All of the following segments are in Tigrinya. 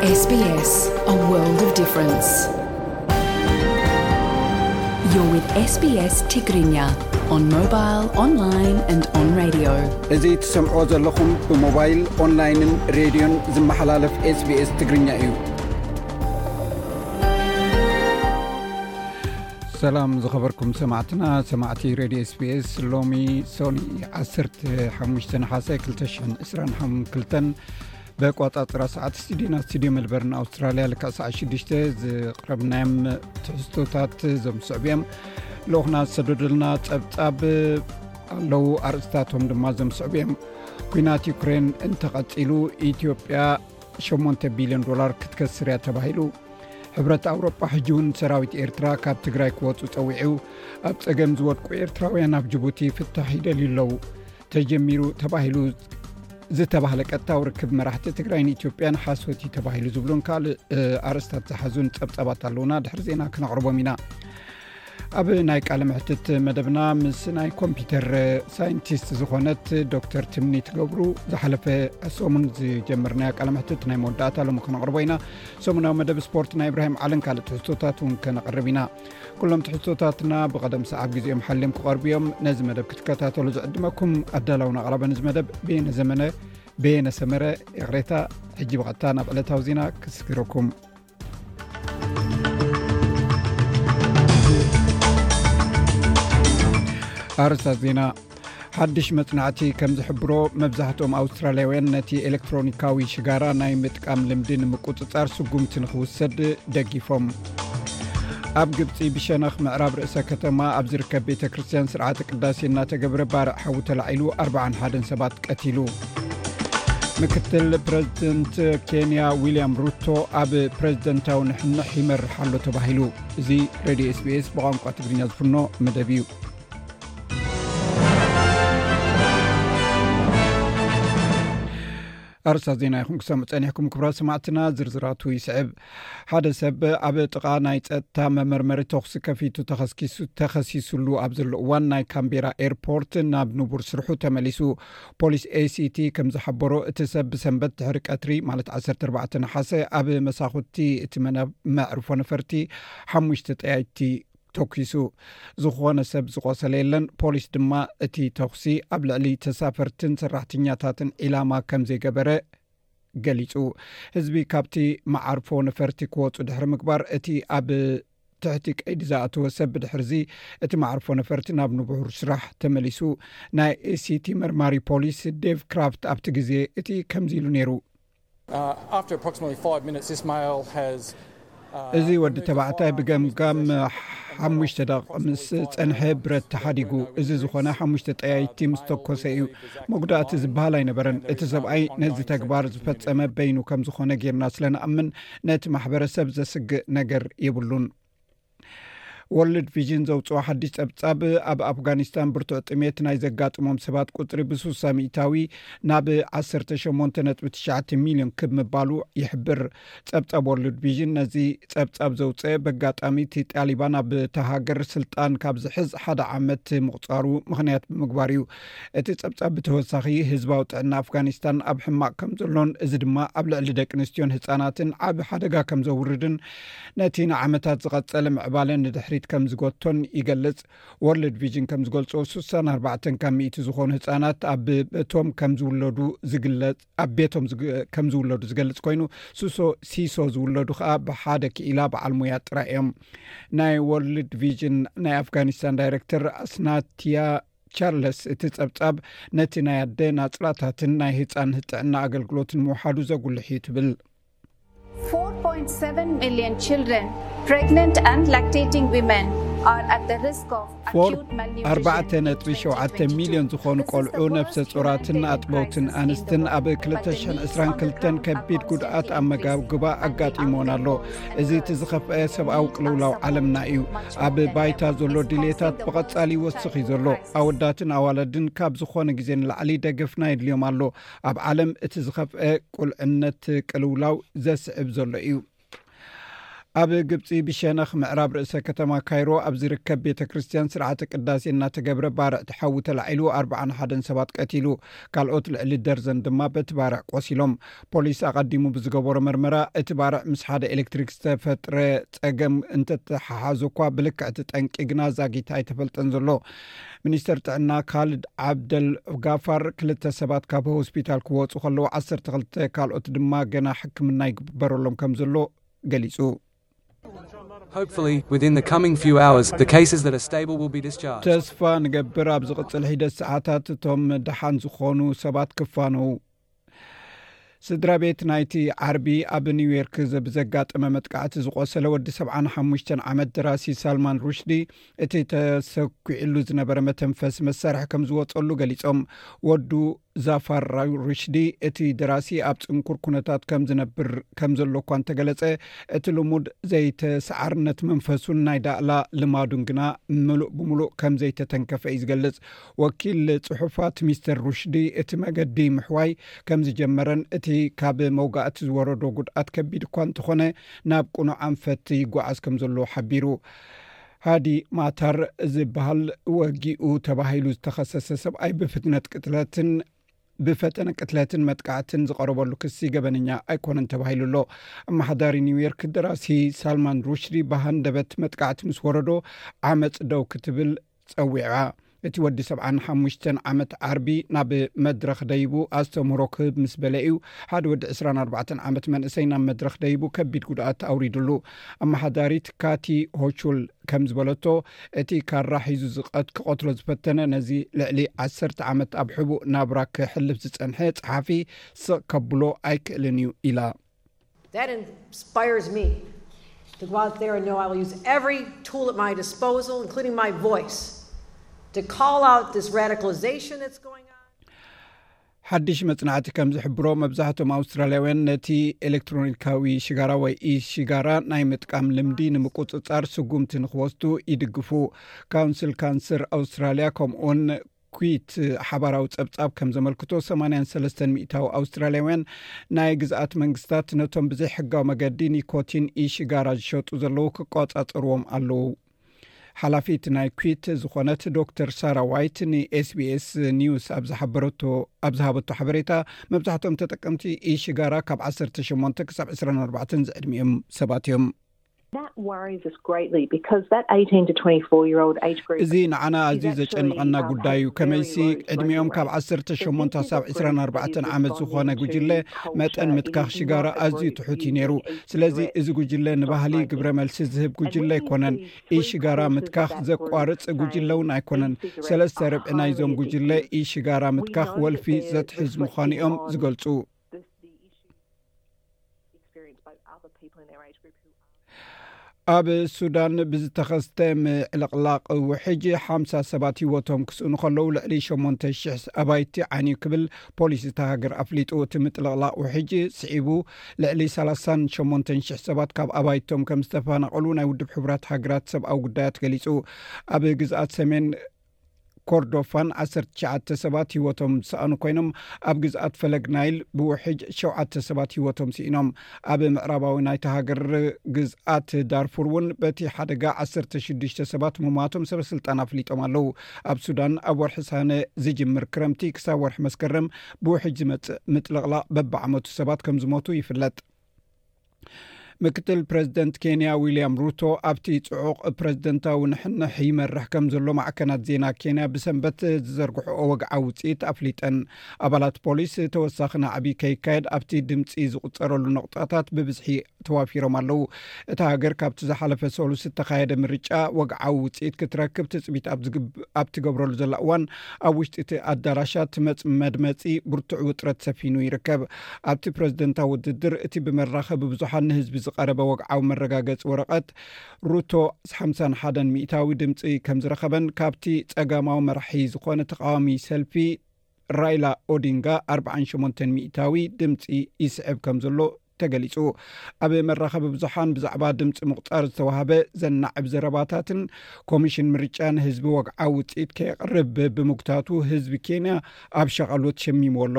S B S, a world of difference. You're with S B S Tigrinya on mobile, online and on radio. እዚ ትሰምዕዎ ዘለኹም ብሞባይል፣ ኦንላይንን ሬድዮን ዝመሓላለፍ S B S ትግርኛ እዩ። ሰላም ዝኸበርኩም ሰማዕትና፣ ሰማዕቲ ሬድዮ S B S፣ ሎሚ ሶኒ ዓሰርተ ሓሙሽተ ነሓሰ ክልተ ሽሕን ዕስራን ሓሙሽተን ብኣቋጻጽራ ሰዓት ስቱዲዮና ስቱዲዮ ሜልበርን ኣውስትራልያ ልክዕ ሰዓት ሽዱሽተ ዝቕረብናዮም ትሕዝቶታት ዘምስዕቡ እዮም። ልኡኽና ዝሰደዱልና ጸብጻብ ኣለዉ፣ ኣርእስታቶም ድማ ዘምስዕቡ እዮም። ኲናት ዩክሬን እንተቐጺሉ ኢትዮጵያ ሸሞንተ ቢልዮን ዶላር ክትከስር እያ ተባሂሉ። ሕብረት ኣውሮጳ ሕጂ እውን ሰራዊት ኤርትራ ካብ ትግራይ ክወፁ ፀዊዑ። ኣብ ፀገም ዝወድቁ ኤርትራውያን ኣብ ጅቡቲ ፍታሕ ይደልዩ ኣለዉ። ተጀሚሩ ተባሂሉ ዝተባህለ ቀጥታዊ ርክብ መራሕቲ ትግራይን ኢትዮጵያን ሓሶት እዩ ተባሂሉ ዝብሉን ካልእ ኣርእስታት ዝሓዙን ፀብፃባት ኣለዉና። ድሕሪ ዜና ክነቕርቦም ኢና። ኣብ ናይ ቃለ መሕትት መደብና ምስ ናይ ኮምፒውተር ሳይንቲስት ዝኾነት ዶክተር ትምኒት ገብሩ ዝሓለፈ ሰሙን ዝጀመርናዮ ቃለ መሕትት ናይ መወዳእታ ሎሚ ክነቕርቦ ኢና። ሰሙናዊ መደብ ስፖርት ናይ ኢብራሂም ዓልን ካልእ ትሕዝቶታት እውን ከነቕርብ ኢና። ኩሎም ትሕዝቶታትና ብቐደም ሰዓብ ግዜኦም ሓልዮም ክቐርቡ እዮም። ነዚ መደብ ክትከታተሉ ዝዕድመኩም ኣዳላውን ኣቕራብን እዚ መደብ በየነ ዘመነ፣ በየነ ሰመረ፣ ይቕሬታ። ሕጂ ብቐጥታ ናብ ዕለታዊ ዜና ክስግረኩም። ኣርእስታት ዜና። ሓድሽ መጽናዕቲ ከም ዝሕብሮ፣ መብዛሕትኦም ኣውስትራልያውያን ነቲ ኤሌክትሮኒካዊ ሽጋራ ናይ ምጥቃም ልምዲ ንምቁጽጻር ስጉምቲ ንኽውሰድ ደጊፎም። ኣብ ግብጺ ብሸነኽ ምዕራብ ርእሰ ከተማ ኣብ ዝርከብ ቤተ ክርስቲያን ስርዓተ ቅዳሴ እናተገብረ ባርዕ ሓዊ ተላዒሉ ኣርብዓን ሓደን ሰባት ቀቲሉ። ምክትል ፕረዚደንት ኬንያ ዊልያም ሩቶ ኣብ ፕረዚደንታዊ ንሕንሕ ይመርሕ ኣሎ ተባሂሉ። እዚ ሬድዮ S B S ብቋንቋ ትግርኛ ዝፍኖ መደብ እዩ። ኣርእስታት ዜና ኢኹም ክሰምዑ ጸኒሕኩም ክቡራት ሰማዕትና፣ ዝርዝራቱ ይስዕብ። ሓደ ሰብ ኣብ ጥቓ ናይ ጸጥታ መመርመሪ ተኹሲ ከፊቱ ተኸስኪሱ-፣ ተኸሲሱሉ ኣብ ዘሎ እዋን ናይ ካምቤራ ኤርፖርት ናብ ንቡር ስርሑ ተመሊሱ። ፖሊስ A C T ከም ዝሓበሮ፣ እቲ ሰብ ብሰንበት ድሕሪ ቀትሪ ማለት ዓሰርተ ኣርባዕተ ነሓሰ ኣብ መሳኹቲ እቲ መነ-፣ መዕርፎ ነፈርቲ ሓሙሽተ ጠያይቲ ተኲሱ። ዝኾነ ሰብ ዝቖሰለ የለን። ፖሊስ ድማ እቲ ተኹሲ ኣብ ልዕሊ ተሳፈርትን ሰራሕተኛታትን ዒላማ ከም ዘይገበረ ገሊጹ። ህዝቢ ካብቲ መዓርፎ ነፈርቲ ክወጹ ድሕሪ ምግባር፣ እቲ ኣብ ትሕቲ ቀይዲ ዝኣተወ ሰብ ብድሕርዚ እቲ መዓርፎ ነፈርቲ ናብ ንቡር ስራሕ ተመሊሱ። ናይ A C T መርማሪ ፖሊስ ዴቭ ክራፍት ኣብቲ ግዜ እቲ ከምዚ ኢሉ ነይሩ። Uh, after approximately five minutes, this male has, uh, እዚ ወዲ ተባዕታይ ብገምጋም ሓሙሽተ ደቂቕ ምስ ጸንሐ ብረት ተሓዲጉ። እዚ ዝኾነ ሓሙሽተ ጠያይቲ ምስ ተኮሰ እዩ። መጉዳእቲ ዝበሃል ኣይነበረን። እቲ ሰብኣይ ነዚ ተግባር ዝፈጸመ በይኑ ከም ዝኾነ ጌርና ስለ ንኣምን፣ ነቲ ማሕበረሰብ ዘስግእ ነገር የብሉን። ወርልድ ቪዥን ዘውፅኦ ሓድሽ ጸብጻብ፣ ኣብ ኣፍጋኒስታን ብርቱዕ ጥሜት ናይ ዘጋጥሞም ሰባት ቁጽሪ ብስሳ ሚእታዊ ናብ ዓሰርተ ሸሞንተ ነጥቢ ትሽዓተ ሚልዮን ክብ ምባሉ ይሕብር። ጸብጻብ ወርልድ ቪዥን ነዚ ጸብጻብ ዘውፅአ፣ በጋጣሚ እቲ ጣሊባን ኣብ እታ ሃገር ስልጣን ካብ ዝሕዝ ሓደ ዓመት ምቑጻሩ ምኽንያት ብምግባር እዩ። እቲ ጸብጻብ ብተወሳኺ፣ ህዝባዊ ጥዕና ኣፍጋኒስታን ኣብ ሕማቕ ከም ዘሎን፣ እዚ ድማ ኣብ ልዕሊ ደቂ ኣንስትዮን ህጻናትን ዓቢ ሓደጋ ከም ዘውርድን፣ ነቲ ንዓመታት ዝቐጸለ ምዕባለ ንድሕሪት ከም ዝጎቶን ይገልጽ። ወርልድ ቪዥን ከም ዝገልጾ፣ ስሳን ኣርባዕተን ካብ ሚእቲ ዝኾኑ ህጻናት ኣብ ቤቶም ከም ዝውለዱ ዝግለጽ፣ ኣብ ቤቶም ዝግ-፣ ከም ዝውለዱ ዝገልጽ ኮይኑ፣ ሱሶ-፣ ሲሶ ዝውለዱ ከኣ ብሓደ ክኢላ በዓል ሞያ ጥራይ እዮም። ናይ ወርልድ ቪዥን ናይ ኣፍጋኒስታን ዳይሬክተር ኣስናትያ ቻርለስ፣ እቲ ጸብጻብ ነቲ ናይ ኣደ ናጽላታትን ናይ ህጻን ጥዕና ኣገልግሎትን ምውሓዱ ዘጉልሕ እዩ ትብል። Four point seven million children, pregnant and lactating women, are at the risk of acute malnutrition in twenty twenty-two. ኣርባዕተ ነጥቢ ሸውዓተ ሚልዮን ዝኾኑ ቆልዑ፣ ነፍሰ ጾራትን ኣጥበውትን ኣንስትን ኣብ ክልተ ሽሕን ዕስራን ክልተን ከቢድ ጉድኣት ኣመጋግባ ኣጋጢሞን ኣሎ። እዚ እቲ ዝኸፍአ ሰብኣዊ ቅልውላው ዓለምና እዩ። ኣብ ባይታ ዘሎ ድሌታት ብቐጻሊ ይወስኽ እዩ ዘሎ። ኣወዳትን ኣዋለድን ካብ ዝኾነ ግዜ ንላዕሊ ደገፍና የድልዮም ኣሎ። ኣብ ዓለም እቲ ዝኸፍአ ቁልዕነት ቅልውላው ዘስዕብ ዘሎ እዩ። ኣብ ግብፂ ብሸነኽ ምዕራብ ርእሰ ከተማ ካይሮ ኣብ ዝርከብ ቤተ ክርስቲያን ስርዓተ ቅዳሴ እናተገብረ ባርዕ ተሓዊ ተላዒሉ ኣርባዓን ሓደን ሰባት ቀቲሉ፣ ካልኦት ልዕሊ ደርዘን ድማ በቲ ባርዕ ቆሲሎም። ፖሊስ ኣቐዲሙ ብዝገበሮ መርመራ እቲ ባርዕ ምስ ሓደ ኤሌክትሪክ ዝተፈጥረ ጸገም እንተተሓሓዙ እኳ ብልክዕ እቲ ጠንቂ ግና ዛጊት ኣይተፈልጠን ዘሎ። ሚኒስተር ጥዕና ካልድ ዓብደል ጋፋር ክልተ ሰባት ካብ ሆስፒታል ክወፁ ከለዉ ዓሰርተ ክልተ ካልኦት ድማ ገና ሕክምና ይግበረሎም ከም ዘሎ ገሊጹ። Hopefully, within the coming few hours, the cases that are stable will be discharged. ተስፋ ንገብር ኣብ ዝቕጽል ሒደት ሰዓታት እቶም ደሓን ዝኾኑ ሰባት ክፋነው። ስድራ ቤት ናይቲ ዓርቢ ኣብ ኒውዮርክ ብዘጋጠመ መጥቃዕቲ ዝቆሰለ ወዲ ሰብዓን ሓሙሽተን ዓመት ደራሲ ሳልማን ሩሽዲ፣ እቲ ተሰኪዕሉ ዝነበረ መተንፈሲ መሳርሒ ከም ዝወጸሉ ገሊጾም። ወዱ ዛፋር ሩሽዲ፣ እቲ ደራሲ ኣብ ጽንኩር ኩነታት ከም ዝነብር ከም ዘሎ እኳ እንተገለጸ፣ እቲ ልሙድ ዘይተሰዓርነት መንፈሱን ናይ ዳእላ ልማዱን ግና ምሉእ ብምሉእ ከም ዘይተተንከፈ እዩ ዝገልጽ። ወኪል ጽሑፋት ሚስተር ሩሽዲ፣ እቲ መገዲ ምሕዋይ ከም ዝጀመረን እቲ ካብ መውጋእቲ ዝወረዶ ጉድኣት ከቢድ እኳ እንተኾነ፣ ናብ ቅኑዕ ኣንፈት ይጓዓዝ ከም ዘሎ ሓቢሩ። ሃዲ ማታር ዝበሃል ወጊኡ ተባሂሉ ዝተኸሰሰ ሰብኣይ ብፍጥነት ቅትለትን ብፈተነ ቅትለትን መጥቃዕትን ዝቐረበሉ ክሲ ገበነኛ ኣይኮነን ተባሂሉ ኣሎ። ኣመሓዳሪ ኒውዮርክ ደራሲ ሳልማን ሩሽዲ ብሃንደበት መጥቃዕቲ ምስ ወረዶ ዓመፅ ደው ክትብል ጸዊዓ። እቲ ወዲ ሰብዓን ሓሙሽተን ዓመት ዓርቢ ናብ መድረኽ ደይቡ ኣስተምህሮ ክህብ ምስ በለ እዩ ሓደ ወዲ ዕስራን ኣርባዕተን ዓመት መንእሰይ ናብ መድረኽ ደይቡ ከቢድ ጉድኣት ኣውሪዱሉ። ኣመሓዳሪት ካቲ ሆቹል ከም ዝበለቶ፣ እቲ ካራ ሒዙ ዝቐት ክቐትሎ ዝፈተነ ነዚ ልዕሊ ዓሰርተ ዓመት ኣብ ሕቡእ ናብራ ክሕልፍ ዝጸንሐ ጸሓፊ ስቕ ከብሎ ኣይክእልን እዩ ኢላ። That inspires me to go out there and know I will use every tool at my disposal, including my voice, to call out this radicalization that's going on. ሓድሽ መጽናዕቲ ከም ዝሕብሮ፣ መብዛሕትኦም ኣውስትራልያውያን ነቲ ኤሌክትሮኒካዊ ሽጋራ ወይ ኢ-ሽጋራ ናይ ምጥቃም ልምዲ ንምቁጽጻር ስጉምቲ ንኽወስዱ ይድግፉ። ካውንስል ካንሰር ኣውስትራልያ ከምኡውን ኩዊት ሓባራዊ ጸብጻብ ከም ዘመልክቶ፣ ሰማንያን ሰለስተን ሚእታዊ ኣውስትራልያውያን ናይ ግዝኣት መንግስታት ነቶም ብዘይሕጋዊ መገዲ ኒኮቲን ኢ-ሽጋራ ዝሸጡ ዘለዉ ክቆጻጸርዎም ኣለዉ። ሓላፊት ናይ ኩዊት ዝኾነት ዶክተር ሳራ ዋይት ንኤስቢኤስ ኒውስ ኣብ ዝሓበረቶ ኣብ ዝሃበቶ ሓበሬታ፣ መብዛሕትኦም ተጠቀምቲ ኢ-ሽጋራ ካብ ዓሰርተ ሸሞንተ ክሳብ ዕስራን ኣርባዕተን ዝዕድሚኦም ሰባት እዮም። That worries us greatly because that eighteen to twenty-four year old age group እዚ ንዓና ኣዝዩ ዘጨንቐና ጉዳይ እዩ። ከመይሲ፣ ዕድሚኦም ካብ ዓሰርተ ሸሞንተ ክሳብ ዕስራን ኣርባዕተን ዓመት ዝኾነ ጉጅለ መጠን ምትካኽ ሽጋራ ኣዝዩ ትሑት እዩ ነይሩ። ስለዚ፣ እዚ ጉጅለ ንባህሊ ግብረ መልሲ ዝህብ ጉጅለ ኣይኮነን። ኢ-ሽጋራ ምትካኽ ዘቋርጽ ጉጅለ እውን ኣይኮነን። ሰለስተ ርብዒ ናይዞም ጉጅለ ኢ-ሽጋራ ምትካኽ ወልፊ ዘትሕዝ ምዃኑ እዮም ዝገልጹ። experienced by other people in their age group who ኣብ ሱዳን ብዝተኸስተ ምዕልቕላቕ ውሕጅ ሓምሳ ሰባት ህይወቶም ክስእኑ ከለዉ፣ ልዕሊ ሸሞንተ ሽሕ ኣባይቲ ዓንዩ ክብል ፖሊስ እታ ሃገር ኣፍሊጡ። እቲ ምጥልቕላቕ ውሕጅ ስዒቡ ልዕሊ ሰላሳን ሸሞንተን ሽሕ ሰባት ካብ ኣባይቶም ከም ዝተፈናቐሉ ናይ ውድብ ሕቡራት ሃገራት ሰብኣዊ ጉዳያት ገሊጹ። ኣብ ግዝኣት ሰሜን ኮርዶፋን ዓሰርተ ትሽዓተ ሰባት ህይወቶም ዝሰኣኑ ኮይኖም፣ ኣብ ግዝኣት ፈለግ ናይል ብውሕጅ ሸውዓተ ሰባት ህይወቶም ስኢኖም። ኣብ ምዕራባዊ ናይታ ሃገር ግዝኣት ዳርፉር እውን በቲ ሓደጋ ዓሰርተ ሽዱሽተ ሰባት ምሟቶም ሰበ ስልጣን ኣፍሊጦም ኣለዉ። ኣብ ሱዳን ኣብ ወርሒ ሰነ ዝጅምር ክረምቲ ክሳብ ወርሒ መስከረም ብውሕጅ ዝመጽእ ምጥልቕላቕ በብዓመቱ ሰባት ከም ዝሞቱ ይፍለጥ። ምክትል ፕረዚደንት ኬንያ ዊልያም ሩቶ ኣብቲ ጽዑቕ ፕረዚደንታዊ ንሕንሕ ይመርሕ ከም ዘሎ ማዕከናት ዜና ኬንያ ብሰንበት ዝዘርግሕኦ ወግዓዊ ውጽኢት ኣፍሊጠን። ኣባላት ፖሊስ ተወሳኺ ናዕቢ ከይካየድ ኣብቲ ድምጺ ዝቑጸረሉ ነቑጣታት ብብዝሒ ተዋፊሮም ኣለዉ። እታ ሃገር ካብቲ ዝሓለፈ ሰሉስ እተኻየደ ምርጫ ወግዓዊ ውጽኢት ክትረክብ ትጽቢት ኣብ ዝግብ-፣ ኣብ ትገብረሉ ዘላ እዋን፣ ኣብ ውሽጢ እቲ ኣዳራሻት መጽ-፣ መድመጺ ብርቱዕ ውጥረት ሰፊኑ ይርከብ። ኣብቲ ፕረዚደንታዊ ውድድር፣ እቲ ብመራኸቢ ብዙሓን ንህዝቢ ዝቐረበ ወግዓዊ መረጋገጺ ወረቐት፣ ሩቶ ሓምሳን ሓደን ሚእታዊ ድምጺ ከም ዝረኸበን፣ ካብቲ ጸጋማዊ መራሒ ዝኾነ ተቓዋሚ ሰልፊ ራይላ ኦዲንጋ ኣርባዓን ሸሞንተን ሚእታዊ ድምጺ ይስዕብ ከም ዘሎ ተገሊጹ። ኣብ መራኸቢ ብዙሓን ብዛዕባ ድምጺ ምቑጻር ዝተዋህበ ዘናዕብ ዘረባታትን ኮሚሽን ምርጫ ንህዝቢ ወግዓዊ ውጽኢት ከየቕርብ ብምጉታቱ፣ ህዝቢ ኬንያ ኣብ ሸቓሎት ሸሚምዎ ኣሎ።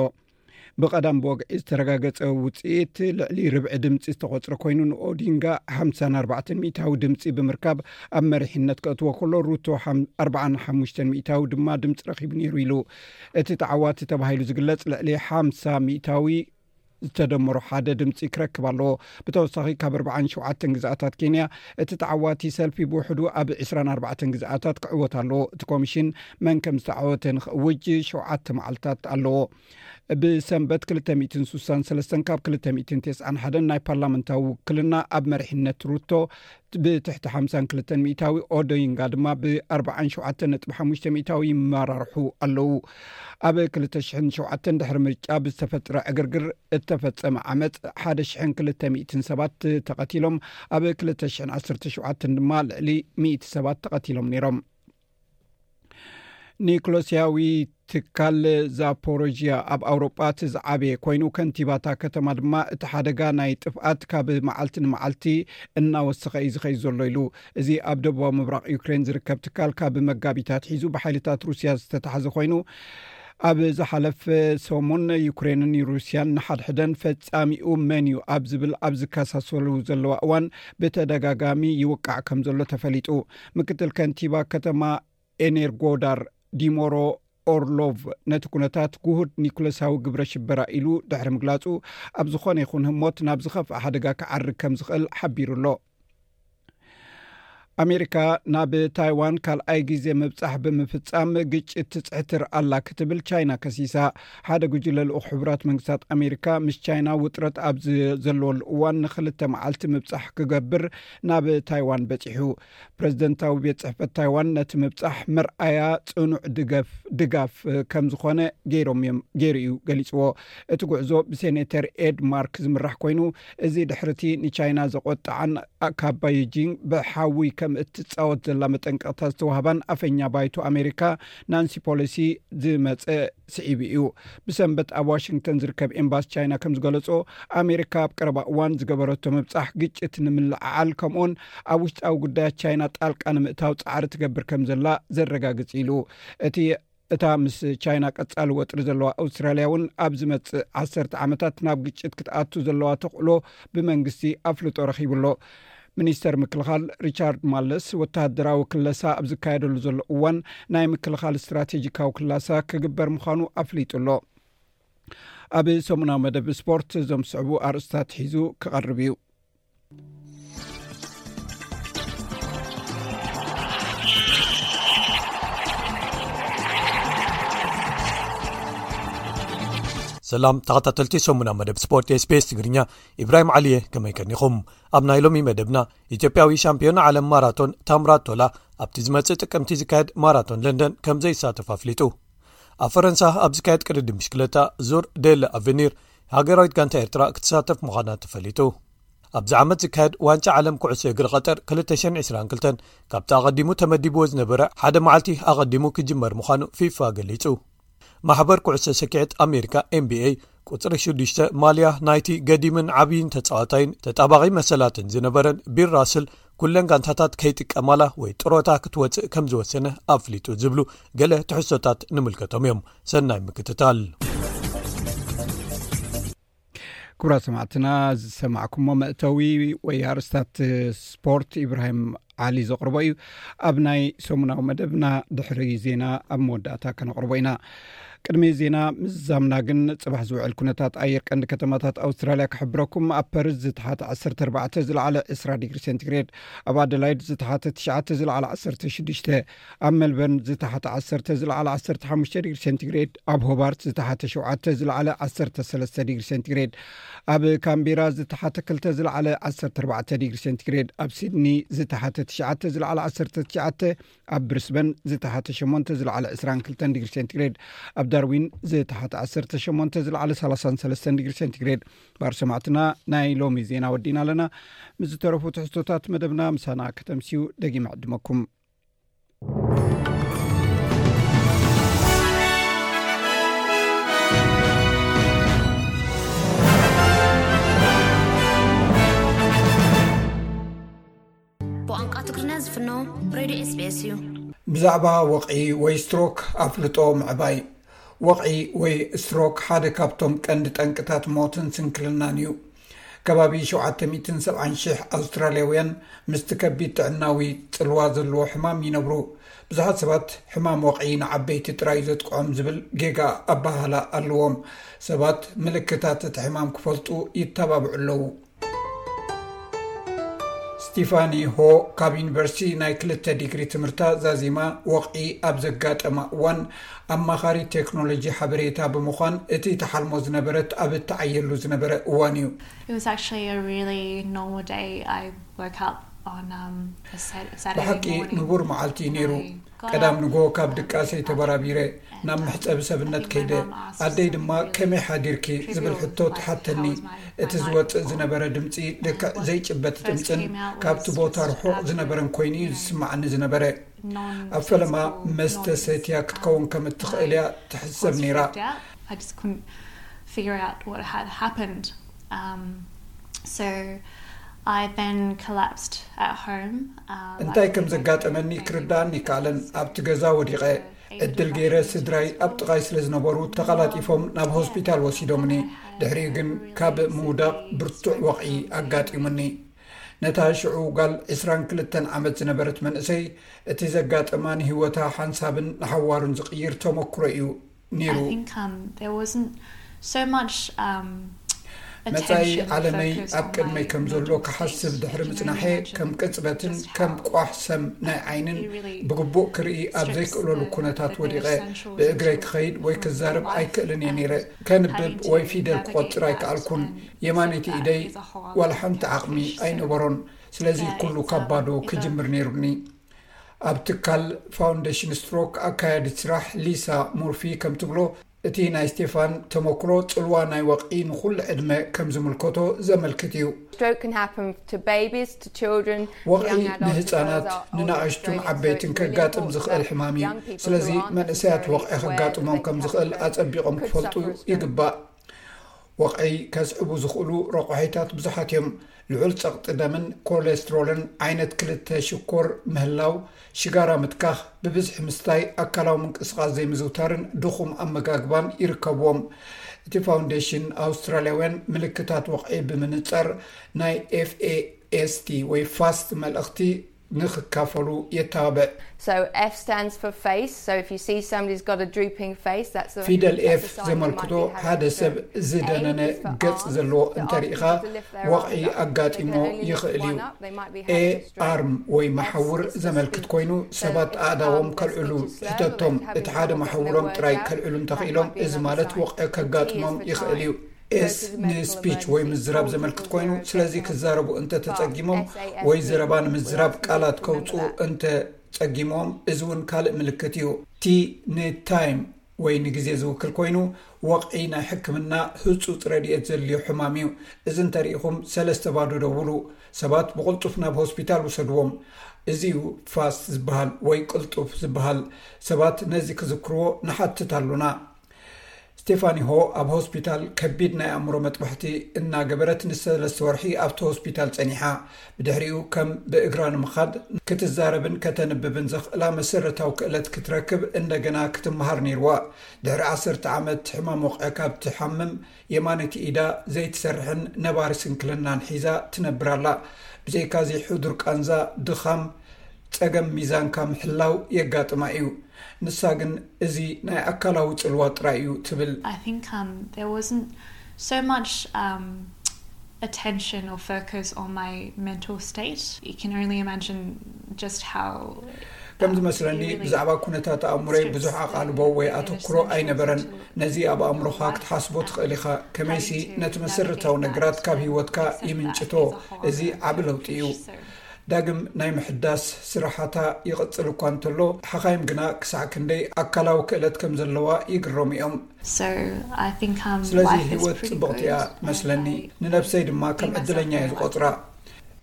ብቐዳም ብወግዒ ዝተረጋገጸ ውጽኢት ልዕሊ ርብዒ ድምጺ ዝተቖጽረ ኮይኑ፣ ንኦዲንጋ ሓምሳን ኣርባዕተን ሚእታዊ ድምጺ ብምርካብ ኣብ መሪሕነት ከእትዎ ከሎ፣ ሩቶ ሓም-፣ ኣርባዓን ሓሙሽተን ሚእታዊ ድማ ድምጺ ረኺቡ ነይሩ ኢሉ። እቲ ተዓዋቲ ተባሂሉ ዝግለጽ ልዕሊ ሓምሳ ሚእታዊ ዝተደመሮ ሓደ ድምጺ ክረክብ ኣለዎ። ብተወሳኺ ካብ ኣርባዓን ሸውዓተን ግዝኣታት ኬንያ እቲ ተዓዋቲ ሰልፊ ብውሕዱ ኣብ ዕስራን ኣርባዕተን ግዝኣታት ክዕወት ኣለዎ። እቲ ኮሚሽን መን ከም ዝተዓወተ ንኽእውጅ ሸውዓተ መዓልታት ኣለዎ። ብሰንበት ክልተ ሚእትን ስሳን ሰለስተን ካብ ክልተ ሚእትን ተስዓን ሓደን ናይ ፓርላመንታዊ ውክልና ኣብ መሪሕነት ሩቶ ብትሕቲ ሓምሳን ክልተን ሚእታዊ፣ ኦዶይንጋ ድማ ብ ኣርባዓን ሸውዓተን ነጥቢ ሓሙሽተ ሚእታዊ ይመራርሑ ኣለዉ። ኣብ ክልተ ሽሕን ሸውዓተን ድሕሪ ምርጫ ብዝተፈጥረ ዕግርግር እተፈጸመ ዓመጽ ሓደ ሽሕን ክልተ ሚእትን ሰባት ተቐቲሎም፣ ኣብ ክልተ ሽሕን ዓሰርተ ሸውዓተን ድማ ልዕሊ ሚእቲ ሰባት ተቐቲሎም ነይሮም። ኒክሎስያዊ ትካል ዛፖሮዥያ ኣብ ኣውሮጳ እቲ ዝዓበየ ኮይኑ፣ ከንቲባታ ከተማ ድማ እቲ ሓደጋ ናይ ጥፍኣት ካብ መዓልቲ ንመዓልቲ እናወሰኸ እዩ ዝኸይድ ዘሎ ኢሉ። እዚ ኣብ ደቡባዊ ምብራቕ ዩክሬን ዝርከብ ትካል ካብ መጋቢት ኣትሒዙ ብሓይልታት ሩስያ ዝተታሕዘ ኮይኑ፣ ኣብ ዝሓለፈ ሰሙን ዩክሬንን ሩስያን ንሓድሕደን ፈጻሚኡ መን እዩ ኣብ ዝብል ኣብ ዝከሳሰሉ ዘለዋ እዋን ብተደጋጋሚ ይውቃዕ ከም ዘሎ ተፈሊጡ። ምክትል ከንቲባ ከተማ ኤኔርጎዳር ዲሞሮ ኦርሎቭ ነቲ ኩነታት ግሁድ ኒኩለሳዊ ግብረ ሽበራ ኢሉ ድሕሪ ምግላጹ፣ ኣብ ዝኾነ ይኹን ህሞት ናብ ዝኸፍአ ሓደጋ ክዓርግ ከም ዝኽእል ሓቢሩ ኣሎ። ኣሜሪካ ናብ ታይዋን ካልኣይ ግዜ ምብጻሕ ብምፍጻም ግጭት ትጽሕትር ኣላ ክትብል ቻይና ከሲሳ። ሓደ ጉጅለ ልኡኽ ሕቡራት መንግስታት ኣሜሪካ ምስ ቻይና ውጥረት ኣብ ዝ-፣ ዘለወሉ እዋን ንኽልተ መዓልቲ ምብጻሕ ክገብር ናብ ታይዋን በጺሑ። ፕሬዝደንታዊ ቤት ጽሕፈት ታይዋን ነቲ ምብጻሕ መርኣያ ጽኑዕ ድገፍ-፣ ድጋፍ ከም ዝኾነ ገይሮም እዮም፣ ገይሩ እዩ ገሊጽዎ። እቲ ጉዕዞ ብሴኔተር ኤድ ማርክ ዝምራሕ ኮይኑ፣ እዚ ድሕርቲ ንቻይና ዘቆጥዓን ካብ ባይጂንግ ብሓዊ ከም እትጻወት ዘላ መጠንቀቕታ ዝተዋህባን ኣፈኛ ባይቶ ኣሜሪካ ናንሲ ፖሎሲ ዝመጸ ስዒቡ እዩ። ብሰንበት ኣብ ዋሽንግተን ዝርከብ ኤምባሲ ቻይና ከም ዝገለጾ፣ ኣሜሪካ ኣብ ቀረባ እዋን ዝገበረቶ ምብጻሕ ግጭት ንምልዕዓል፣ ከምኡውን ኣብ ውሽጣዊ ጉዳያት ቻይና ጣልቃ ንምእታው ጻዕሪ ትገብር ከም ዘላ ዘረጋግጽ ኢሉ። እቲ፣ እታ ምስ ቻይና ቀጻሊ ወጥሪ ዘለዋ ኣውስትራልያ እውን ኣብ ዝመጽእ ዓሰርተ ዓመታት ናብ ግጭት ክትኣቱ ዘለዋ ተኽእሎ ብመንግስቲ ኣፍልጦ ረኺቡ ኣሎ። ሚኒስተር ምክልኻል ሪቻርድ ማለስ፣ ወተሃደራዊ ክለሳ ኣብ ዝካየደሉ ዘሎ እዋን፣ ናይ ምክልኻል ስትራቴጂካዊ ክላሳ ክግበር ምዃኑ ኣፍሊጡ ኣሎ። ኣብ ሰሙናዊ መደብ ስፖርት እዞም ዝስዕቡ ኣርእስታት ሒዙ ክቐርብ እዩ። ሰላም ተኸታተልቲ ሰሙናዊ መደብ ስፖርት ኤስ ቢ ኤስ ትግርኛ፣ ኢብራሂም ዓሊየ፣ ከመይ ቀኒኹም? ኣብ ናይ ሎሚ መደብና፣ ኢትዮጵያዊ ሻምፒዮን ዓለም ማራቶን ታምራት ቶላ ኣብቲ ዝመጽእ ጥቅምቲ ዝካየድ ማራቶን ለንደን ከም ዘይሳተፍ ኣፍሊጡ። ኣብ ፈረንሳ ኣብ ዝካየድ ቅድድም ብሽክለታ ዙር ዴል ኣቨኒር፣ ሃገራዊት ጋንታ ኤርትራ ክትሳተፍ ምዃና ተፈሊጡ። ኣብዚ ዓመት ዝካየድ ዋንጫ ዓለም ኩዕሶ እግሪ ቀጠር ክልተ ሽሕን ዕስራን ክልተን ካብቲ ኣቐዲሙ ተመዲብዎ ዝነበረ ሓደ መዓልቲ ኣቐዲሙ ክጅመር ምዃኑ ፊፋ ገሊጹ። ማሕበር ኩዕሶ ሰኪዐት ኣሜሪካ ኤን ቢ ኤ ቁጽሪ ሽዱሽተ ማልያ ናይቲ ገዲምን ዓብይን ተጻዋታይን ተጣባቒ መሰላትን ዝነበረን ቢል ራስል ኩለን ጋንታታት ከይጥቀማላ ወይ ጥሮታ ክትወጽእ ከም ዝወሰነ ኣፍሊጡ ዝብሉ ገለ ትሕዝቶታት ንምልከቶም እዮም። ሰናይ ምክትታል። ክቡራት ሰማዕትና፣ ዝሰማዕኩሞ መእተዊ ወይ ኣርስታት ስፖርት ኢብራሂም ዓሊ ዘቕርቦ እዩ። ኣብ ናይ ሰሙናዊ መደብና ድሕሪ ዜና ኣብ መወዳእታ ከነቕርቦ ኢና። ቅድሚ ዜና ምዝዛምና ግን፣ ጽባሕ ዝውዕል ኩነታት ኣየር ቀንዲ ከተማታት ኣውስትራልያ ክሕብረኩም። ኣብ ፐርዝ ዝተሓተ ዓሰርተ ኣርባዕተ፣ ዝለዓለ ዕስራ ዲግሪ ሴንቲግሬድ፣ ኣብ ኣደላይድ ዝተሓተ ትሽዓተ፣ ዝለዓለ ዓሰርተ ሽዱሽተ፣ ኣብ ሜልበርን ዝተሓተ ዓሰርተ፣ ዝለዓለ ዓሰርተ ሓሙሽተ ዲግሪ ሴንቲግሬድ፣ ኣብ ሆባርት ዝተሓተ ሸውዓተ፣ ዝለዓለ ዓሰርተ ሰለስተ ዲግሪ ሴንቲግሬድ፣ ኣብ ካምቤራ ዝተሓተ ክልተ፣ ዝለዓለ ዓሰርተ ኣርባዕተ ዲግሪ ሴንቲግሬድ፣ ኣብ ሲድኒ ዝተሓተ ትሽዓተ፣ ዝለዓለ ዓሰርተ ትሽዓተ፣ ኣብ ብሪስበን ዝተሓተ ሸሞንተ፣ ዝለዓለ ዕስራን ክልተን ዲግሪ ሴንቲግሬድ፣ ኣብ ዳርዊን ዝተሓተ ዓሰርተ ሸሞንተ፣ ዝለዓለ ሰላሳን ሰለስተን ዲግሪ ሴንቲግሬድ። ባር ሰማዕትና፣ ናይ ሎሚ ዜና ወዲና ኣለና። ምስ ዝተረፉ ትሕዝቶታት መደብና ምሳና ከተምስዩ ደጊመ ዕድመኩም። ብቋንቋ ትግርኛ ዝፍኖ ሬድዮ ኤስ ቢ ኤስ እዩ። ብዛዕባ ወቕዒ ወይ ስትሮክ ኣፍልጦ ምዕባይ። ወቕዒ ወይ ስትሮክ ሓደ ካብቶም ቀንዲ ጠንቅታት ሞትን ስንክልናን እዩ። ከባቢ ሸውዓተ ሚእትን ሰብዓን ሽሕ ኣውስትራልያውያን ምስቲ ከቢድ ጥዕናዊ ጽልዋ ዘለዎ ሕማም ይነብሩ። ብዙሓት ሰባት ሕማም ወቕዒ ንዓበይቲ ጥራይ ዘጥቅዖም ዝብል ጌጋ ኣበሃህላ ኣለዎም። ሰባት ምልክታት እቲ ሕማም ክፈልጡ ይተባብዑ ኣለዉ። ስቲፋኒ ሆ ካብ ዩኒቨርሲቲ ናይ ክልተ ዲግሪ ትምህርታ ዛዚማ ወቕዒ ኣብ ዘጋጠማ እዋን ኣማኻሪ ቴክኖሎጂ ሓበሬታ ብምዃን እቲ ተሓልሞ ዝነበረት ኣብ እተዓየሉ ዝነበረ እዋን እዩ። It was actually a really normal day. I woke up on um, a Sat- Saturday ብሓቂ morning. ንቡር መዓልቲ እዩ ነይሩ። ቀዳም ንጎ ካብ ድቃሰይ ተበራቢረ ናብ መሕጸቢ ሰብነት ከይደ። ኣደይ ድማ ከመይ ሓዲርኪ ዝብል ሕቶ ትሓተኒ። እቲ ዝወጽእ ዝነበረ ድምጺ ልክዕ ዘይጭበጥ ድምጽን ካብቲ ቦታ ርሑቕ ዝነበረን ኮይኑ እዩ ዝስማዓኒ ዝነበረ። ኣብ ፈለማ መስተ ሰትያ ክትከውን ከም እትኽእል እያ ትሕሰብ ነይራ። I just couldn't figure out what had happened. Um, so I then collapsed at home. Um, እንታይ ከም ዘጋጠመኒ ክርዳእኒ ይከኣለን። ኣብቲ ገዛ ወዲቐ ዕድል ገይረ ስድራይ ኣብ ጥቓይ ስለ ዝነበሩ ተቐላጢፎም ናብ ሆስፒታል ወሲዶምኒ። ድሕሪኡ ግን ካብ ምውዳቕ ብርቱዕ ወቕዒ ኣጋጢሙኒ። ነታ ሽዑ ጓል ዕስራን ክልተን ዓመት ዝነበረት መንእሰይ እቲ ዘጋጠማ ንህይወታ ሓንሳብን ንሓዋሩን ዝቕይር ተመክሮ እዩ ነይሩ። I think um, there wasn't so much um, መጻኢ ዓለመይ ኣብ ቅድመይ ከም ዘሎ ክሓስብ ድሕሪ ምጽናሐ ከም ቅጽበትን ከም ቋሕ ሰም ናይ ዓይንን ብግቡእ ክርኢ ኣብ ዘይክእለሉ ኩነታት ወዲቐ ብእግረይ ክኸይድ ወይ ክዛረብ ኣይክእልን እየ ነይረ። ከንብብ ወይ ፊደል ክቆጽር ኣይከኣልኩን። የማነይቲ ኢደይ ዋላ ሓንቲ ዓቕሚ ኣይነበሮን። ስለዚ ኩሉ ካብ ባዶ ክጅምር ነይሩኒ። ኣብ ትካል ፋውንዴሽን ስትሮክ ኣካያዲት ስራሕ ሊሳ ሙርፊ ከም ትብሎ፣ እቲ ናይ ስቴፋን ተመክሮ ጽልዋ ናይ ወቕዒ ንኹሉ ዕድመ ከም ዝምልከቶ ዘመልክት እዩ። Stroke can happen to babies, to children, to ወቕዒ young adults as well ንህጻናት as our oldest ንናእሽቱን strokes. So ዓበይትን it's really ከጋጥም important ዝኽእል that ሕማም እዩ። young people ስለዚ who aren't መንእሰያት necessarily ወቕዒ aware ከጋጥሞም that ከም they have ዝኽእል stroke ኣጸቢቖም could ክፈልጡ suffer a stroke. ይግባእ። ወቕዒ ከስዕቡ ዝኽእሉ ረቑሒታት ብዙሓት እዮም። ልዑል ጸቕጢ ደምን ኮሌስትሮልን፣ ዓይነት ክልተ ሽኮር ምህላው፣ ሽጋራ ምትካኽ፣ ብብዝሒ ምስታይ፣ ኣካላዊ ምንቅስቓስ ዘይምዝውታርን ድኹም ኣመጋግባን ይርከብዎም። እቲ ፋውንዴሽን ኣውስትራልያውያን ምልክታት ወቕዒ ብምንጻር ናይ ኤፍ ኤ ኤስ ቲ ወይ ፋስት መልእኽቲ ንኽካፈሉ የተባብዕ። So F stands for face. So if you see somebody's got a drooping face, that's a, ፊደል that's ኤፍ a sign you might ዘመልክቶ be having ሓደ a ሰብ stroke. ዝደነነ A is for ገጽ arms. ዘለዎ So እንተ ask ርኢኻ people to lift their ወቕዒ arms up. They can ኣጋጢሞ only lift ይኽእል እዩ። one up. They might be ኤ having a stroke. ኣርም ወይ መሓውር ዘመልክት ኮይኑ ሰባት ኣእዳዎም ከልዕሉ ትሕተቶም። እቲ ሓደ መሓውሮም ጥራይ ከልዕሉ እንተኽኢሎም፣ እዚ ማለት ወቕዒ ከጋጥሞም ይኽእል እዩ። ኤስ ንስፒች ወይ ምዝራብ ዘመልክት ኮይኑ፣ ስለዚ ክዛረቡ እንተተጸጊሞም ወይ ዘረባ ንምዝራብ ቃላት ከውጽኡ እንተጸጊሞም፣ እዚ እውን ካልእ ምልክት እዩ። ቲ ንታይም ወይ ንግዜ ዝውክል ኮይኑ፣ ወቕዒ ናይ ሕክምና ህጹጽ ረድኤት ዘድልዮ ሕማም እዩ። እዚ እንተሪኢኹም ሰለስተ ባዶ ደውሉ። ሰባት ብቕልጡፍ ናብ ሆስፒታል ውሰድዎም። እዚ እዩ ፋስት ዝበሃል ወይ ቅልጡፍ ዝበሃል። ሰባት ነዚ ክዝክርዎ ንሓትት ኣሉና። ስቴፋኒ ሆ ኣብ ሆስፒታል ከቢድ ናይ ኣእምሮ መጥባሕቲ እናገበረት ንሰለስተ ወርሒ ኣብቲ ሆስፒታል ጸኒሓ። ብድሕሪኡ ከም ብእግራ ንምኻድ፣ ክትዛረብን ከተንብብን ዘኽእላ መሰረታዊ ክእለት ክትረክብ እንደገና ክትመሃር ነይርዋ። ድሕሪ ዓሰርተ ዓመት ሕማም ወቕዒ ካብ ትሓምም፣ የማነይቲ ኢዳ ዘይትሰርሕን ነባሪ ስንክልናን ሒዛ ትነብር ኣላ። ብዘይካዚ ሕዱር ቃንዛ፣ ድኻም፣ ጸገም ሚዛንካ ምሕላው የጋጥማ እዩ። ንሳ ግን እዚ ናይ ኣካላዊ ጽልዋ ጥራይ እዩ ትብል። I think um, there wasn't so much um, attention or focus on my mental state. You can only imagine just how ከም ዝመስለኒ ብዛዕባ ኩነታት ኣእምሮይ ብዙሕ ኣቓልቦ ወይ ኣተኩሮ ኣይነበረን። ነዚ ኣብ ኣእምሮኻ ክትሓስቦ ትኽእል ኢኻ። ከመይሲ ነቲ መሰረታዊ ነገራት ካብ ህይወትካ ይምንጭቶ። እዚ ዓቢ ለውጢ እዩ። ዳግም ናይ ምሕዳስ ስራሓታ ይቕጽል እኳ እንተሎ፣ ሓኻይም ግና ክሳዕ ክንደይ ኣካላዊ ክእለት ከም ዘለዋ ይግረሙ እዮም። So I think um, ስለዚ life is ህይወት pretty ጽብቕቲ good. እያ And መስለኒ። I ንነብሰይ ድማ ከም think myself ዕድለኛ እየ very lucky. ዝቖጽራ።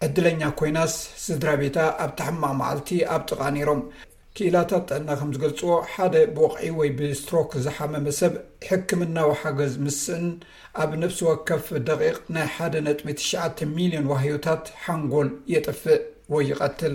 ዕድለኛ ኮይናስ ስድራ ቤታ ኣብታ ሕማቕ መዓልቲ ኣብ ጥቓ ነይሮም። ክኢላታት ጥዕና ከም ዝገልጽዎ፣ ሓደ ብወቕዒ ወይ ብስትሮክ ዝሓመመ ሰብ ሕክምናዊ ሓገዝ ምስእን ኣብ ነፍሲ ወከፍ ደቂቕ ናይ ሓደ ነጥቢ ትሽዓተ ሚልዮን ዋህዮታት ሓንጎል የጥፍእ ወይ ይቐትል።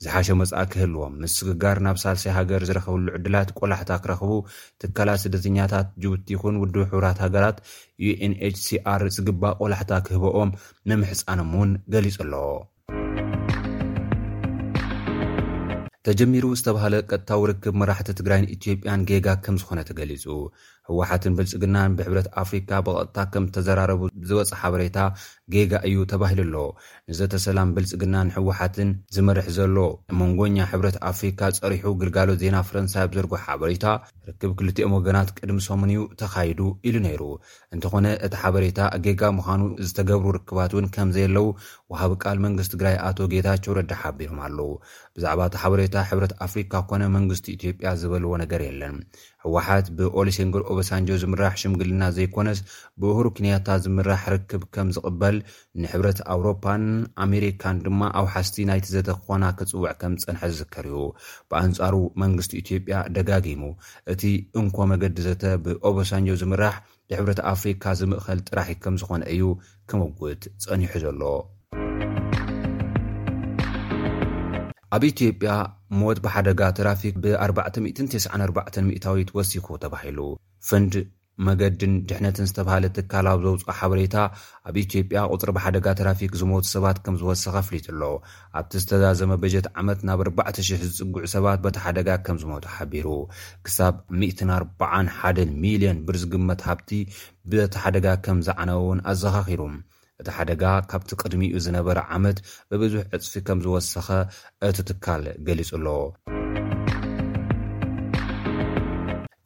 ዝሓሸ መጻኢ ክህልዎም፣ ምስግጋር ናብ ሳልሳይ ሃገር ዝረኸብሉ ዕድላት ቆላሕታ ክረኽቡ፣ ትካላት ስደተኛታት ጅቡቲ ይኹን ውድብ ሕቡራት ሃገራት፣ ዩ ኤን ኤች ሲ ኣር፣ ዝግባእ ቆላሕታ ክህበኦም ምምሕጻኖም እውን ገሊጹ ኣሎ። ተጀሚሩ ዝተባህለ ቀጥታዊ ርክብ መራሕቲ ትግራይን ኢትዮጵያን ጌጋ ከም ዝኾነ ተገሊጹ። ህወሓትን ብልጽግናን ብሕብረት ኣፍሪካ ብቐጥታ ከም ተዘራረቡ ዝወጸ ሓበሬታ ጌጋ እዩ ተባሂሉ ኣሎ። ንዘተ ሰላም ብልጽግናን ህወሓትን ዝመርሕ ዘሎ መንጎኛ ሕብረት ኣፍሪካ ጸሪሑ ግልጋሎት ዜና ፈረንሳይ ኣብ ዘርጎ ሓበሬታ፣ ርክብ ክልቲኦም ወገናት ቅድሚ ሰሙን እዩ ተኻይዱ ኢሉ ነይሩ። እንተኾነ እቲ ሓበሬታ ጌጋ ምዃኑ፣ ዝተገብሩ ርክባት እውን ከም ዘየለዉ ወሃቢ ቃል መንግስቲ ትግራይ ኣቶ ጌታቸው ረዳ ሓቢሮም ኣለዉ። ብዛዕባ እቲ ሓበሬታ ሕብረት ኣፍሪካ ኮነ መንግስቲ ኢትዮጵያ ዝበልዎ ነገር የለን። ህወሓት ብኦሉሴጉን ኦባሳንጆ ዝምራሕ ሽምግልና ዘይኮነስ ብኡሁሩ ኬንያታ ዝምራሕ ርክብ ከም ዝቕበል፣ ንሕብረት ኣውሮፓን ኣሜሪካን ድማ ኣውሓስቲ ናይቲ ዘተ ክኾና ክጽውዕ ከም ዝጸንሐ ዝዝከር እዩ። ብኣንጻሩ መንግስቲ ኢትዮጵያ ደጋጊሙ እቲ እንኮ መገዲ ዘተ ብኦባሳንጆ ዝምራሕ ብሕብረት ኣፍሪካ ዝምእኸል ጥራሕ ከም ዝኾነ እዩ ክምጉት ጸኒሑ ዘሎ። ኣብ ኢትዮጵያ ሞት ብሓደጋ ትራፊክ ብ ኣርባዕተ ሚእትን ተስዓን ኣርባዕተን ሚእታዊት ወሲኹ ተባሂሉ። ፈንድ መገድን ድሕነትን ዝተባሃለ ትካል ኣብ ዘውፅኦ ሓበሬታ፣ ኣብ ኢትዮጵያ ቁፅሪ ብሓደጋ ትራፊክ ዝሞቱ ሰባት ከም ዝወሰኸ ኣፍሊጡ ኣሎ። ኣብቲ ዝተዛዘመ በጀት ዓመት ናብ ኣርባዕተ ሽሕ ዝፅግዑ ሰባት በቲ ሓደጋ ከም ዝሞቱ ሓቢሩ። ክሳብ ሚእትን ኣርባዓን ሓደን ሚልዮን ብር ዝግመት ሃብቲ በቲ ሓደጋ ከም ዝዓነወ እውን ኣዘኻኺሩ። እቲ ሓደጋ ካብቲ ቅድሚኡ ዝነበረ ዓመት ብብዙሕ ዕፅፊ ከም ዝወሰኸ እቲ ትካል ገሊጹ ኣሎ።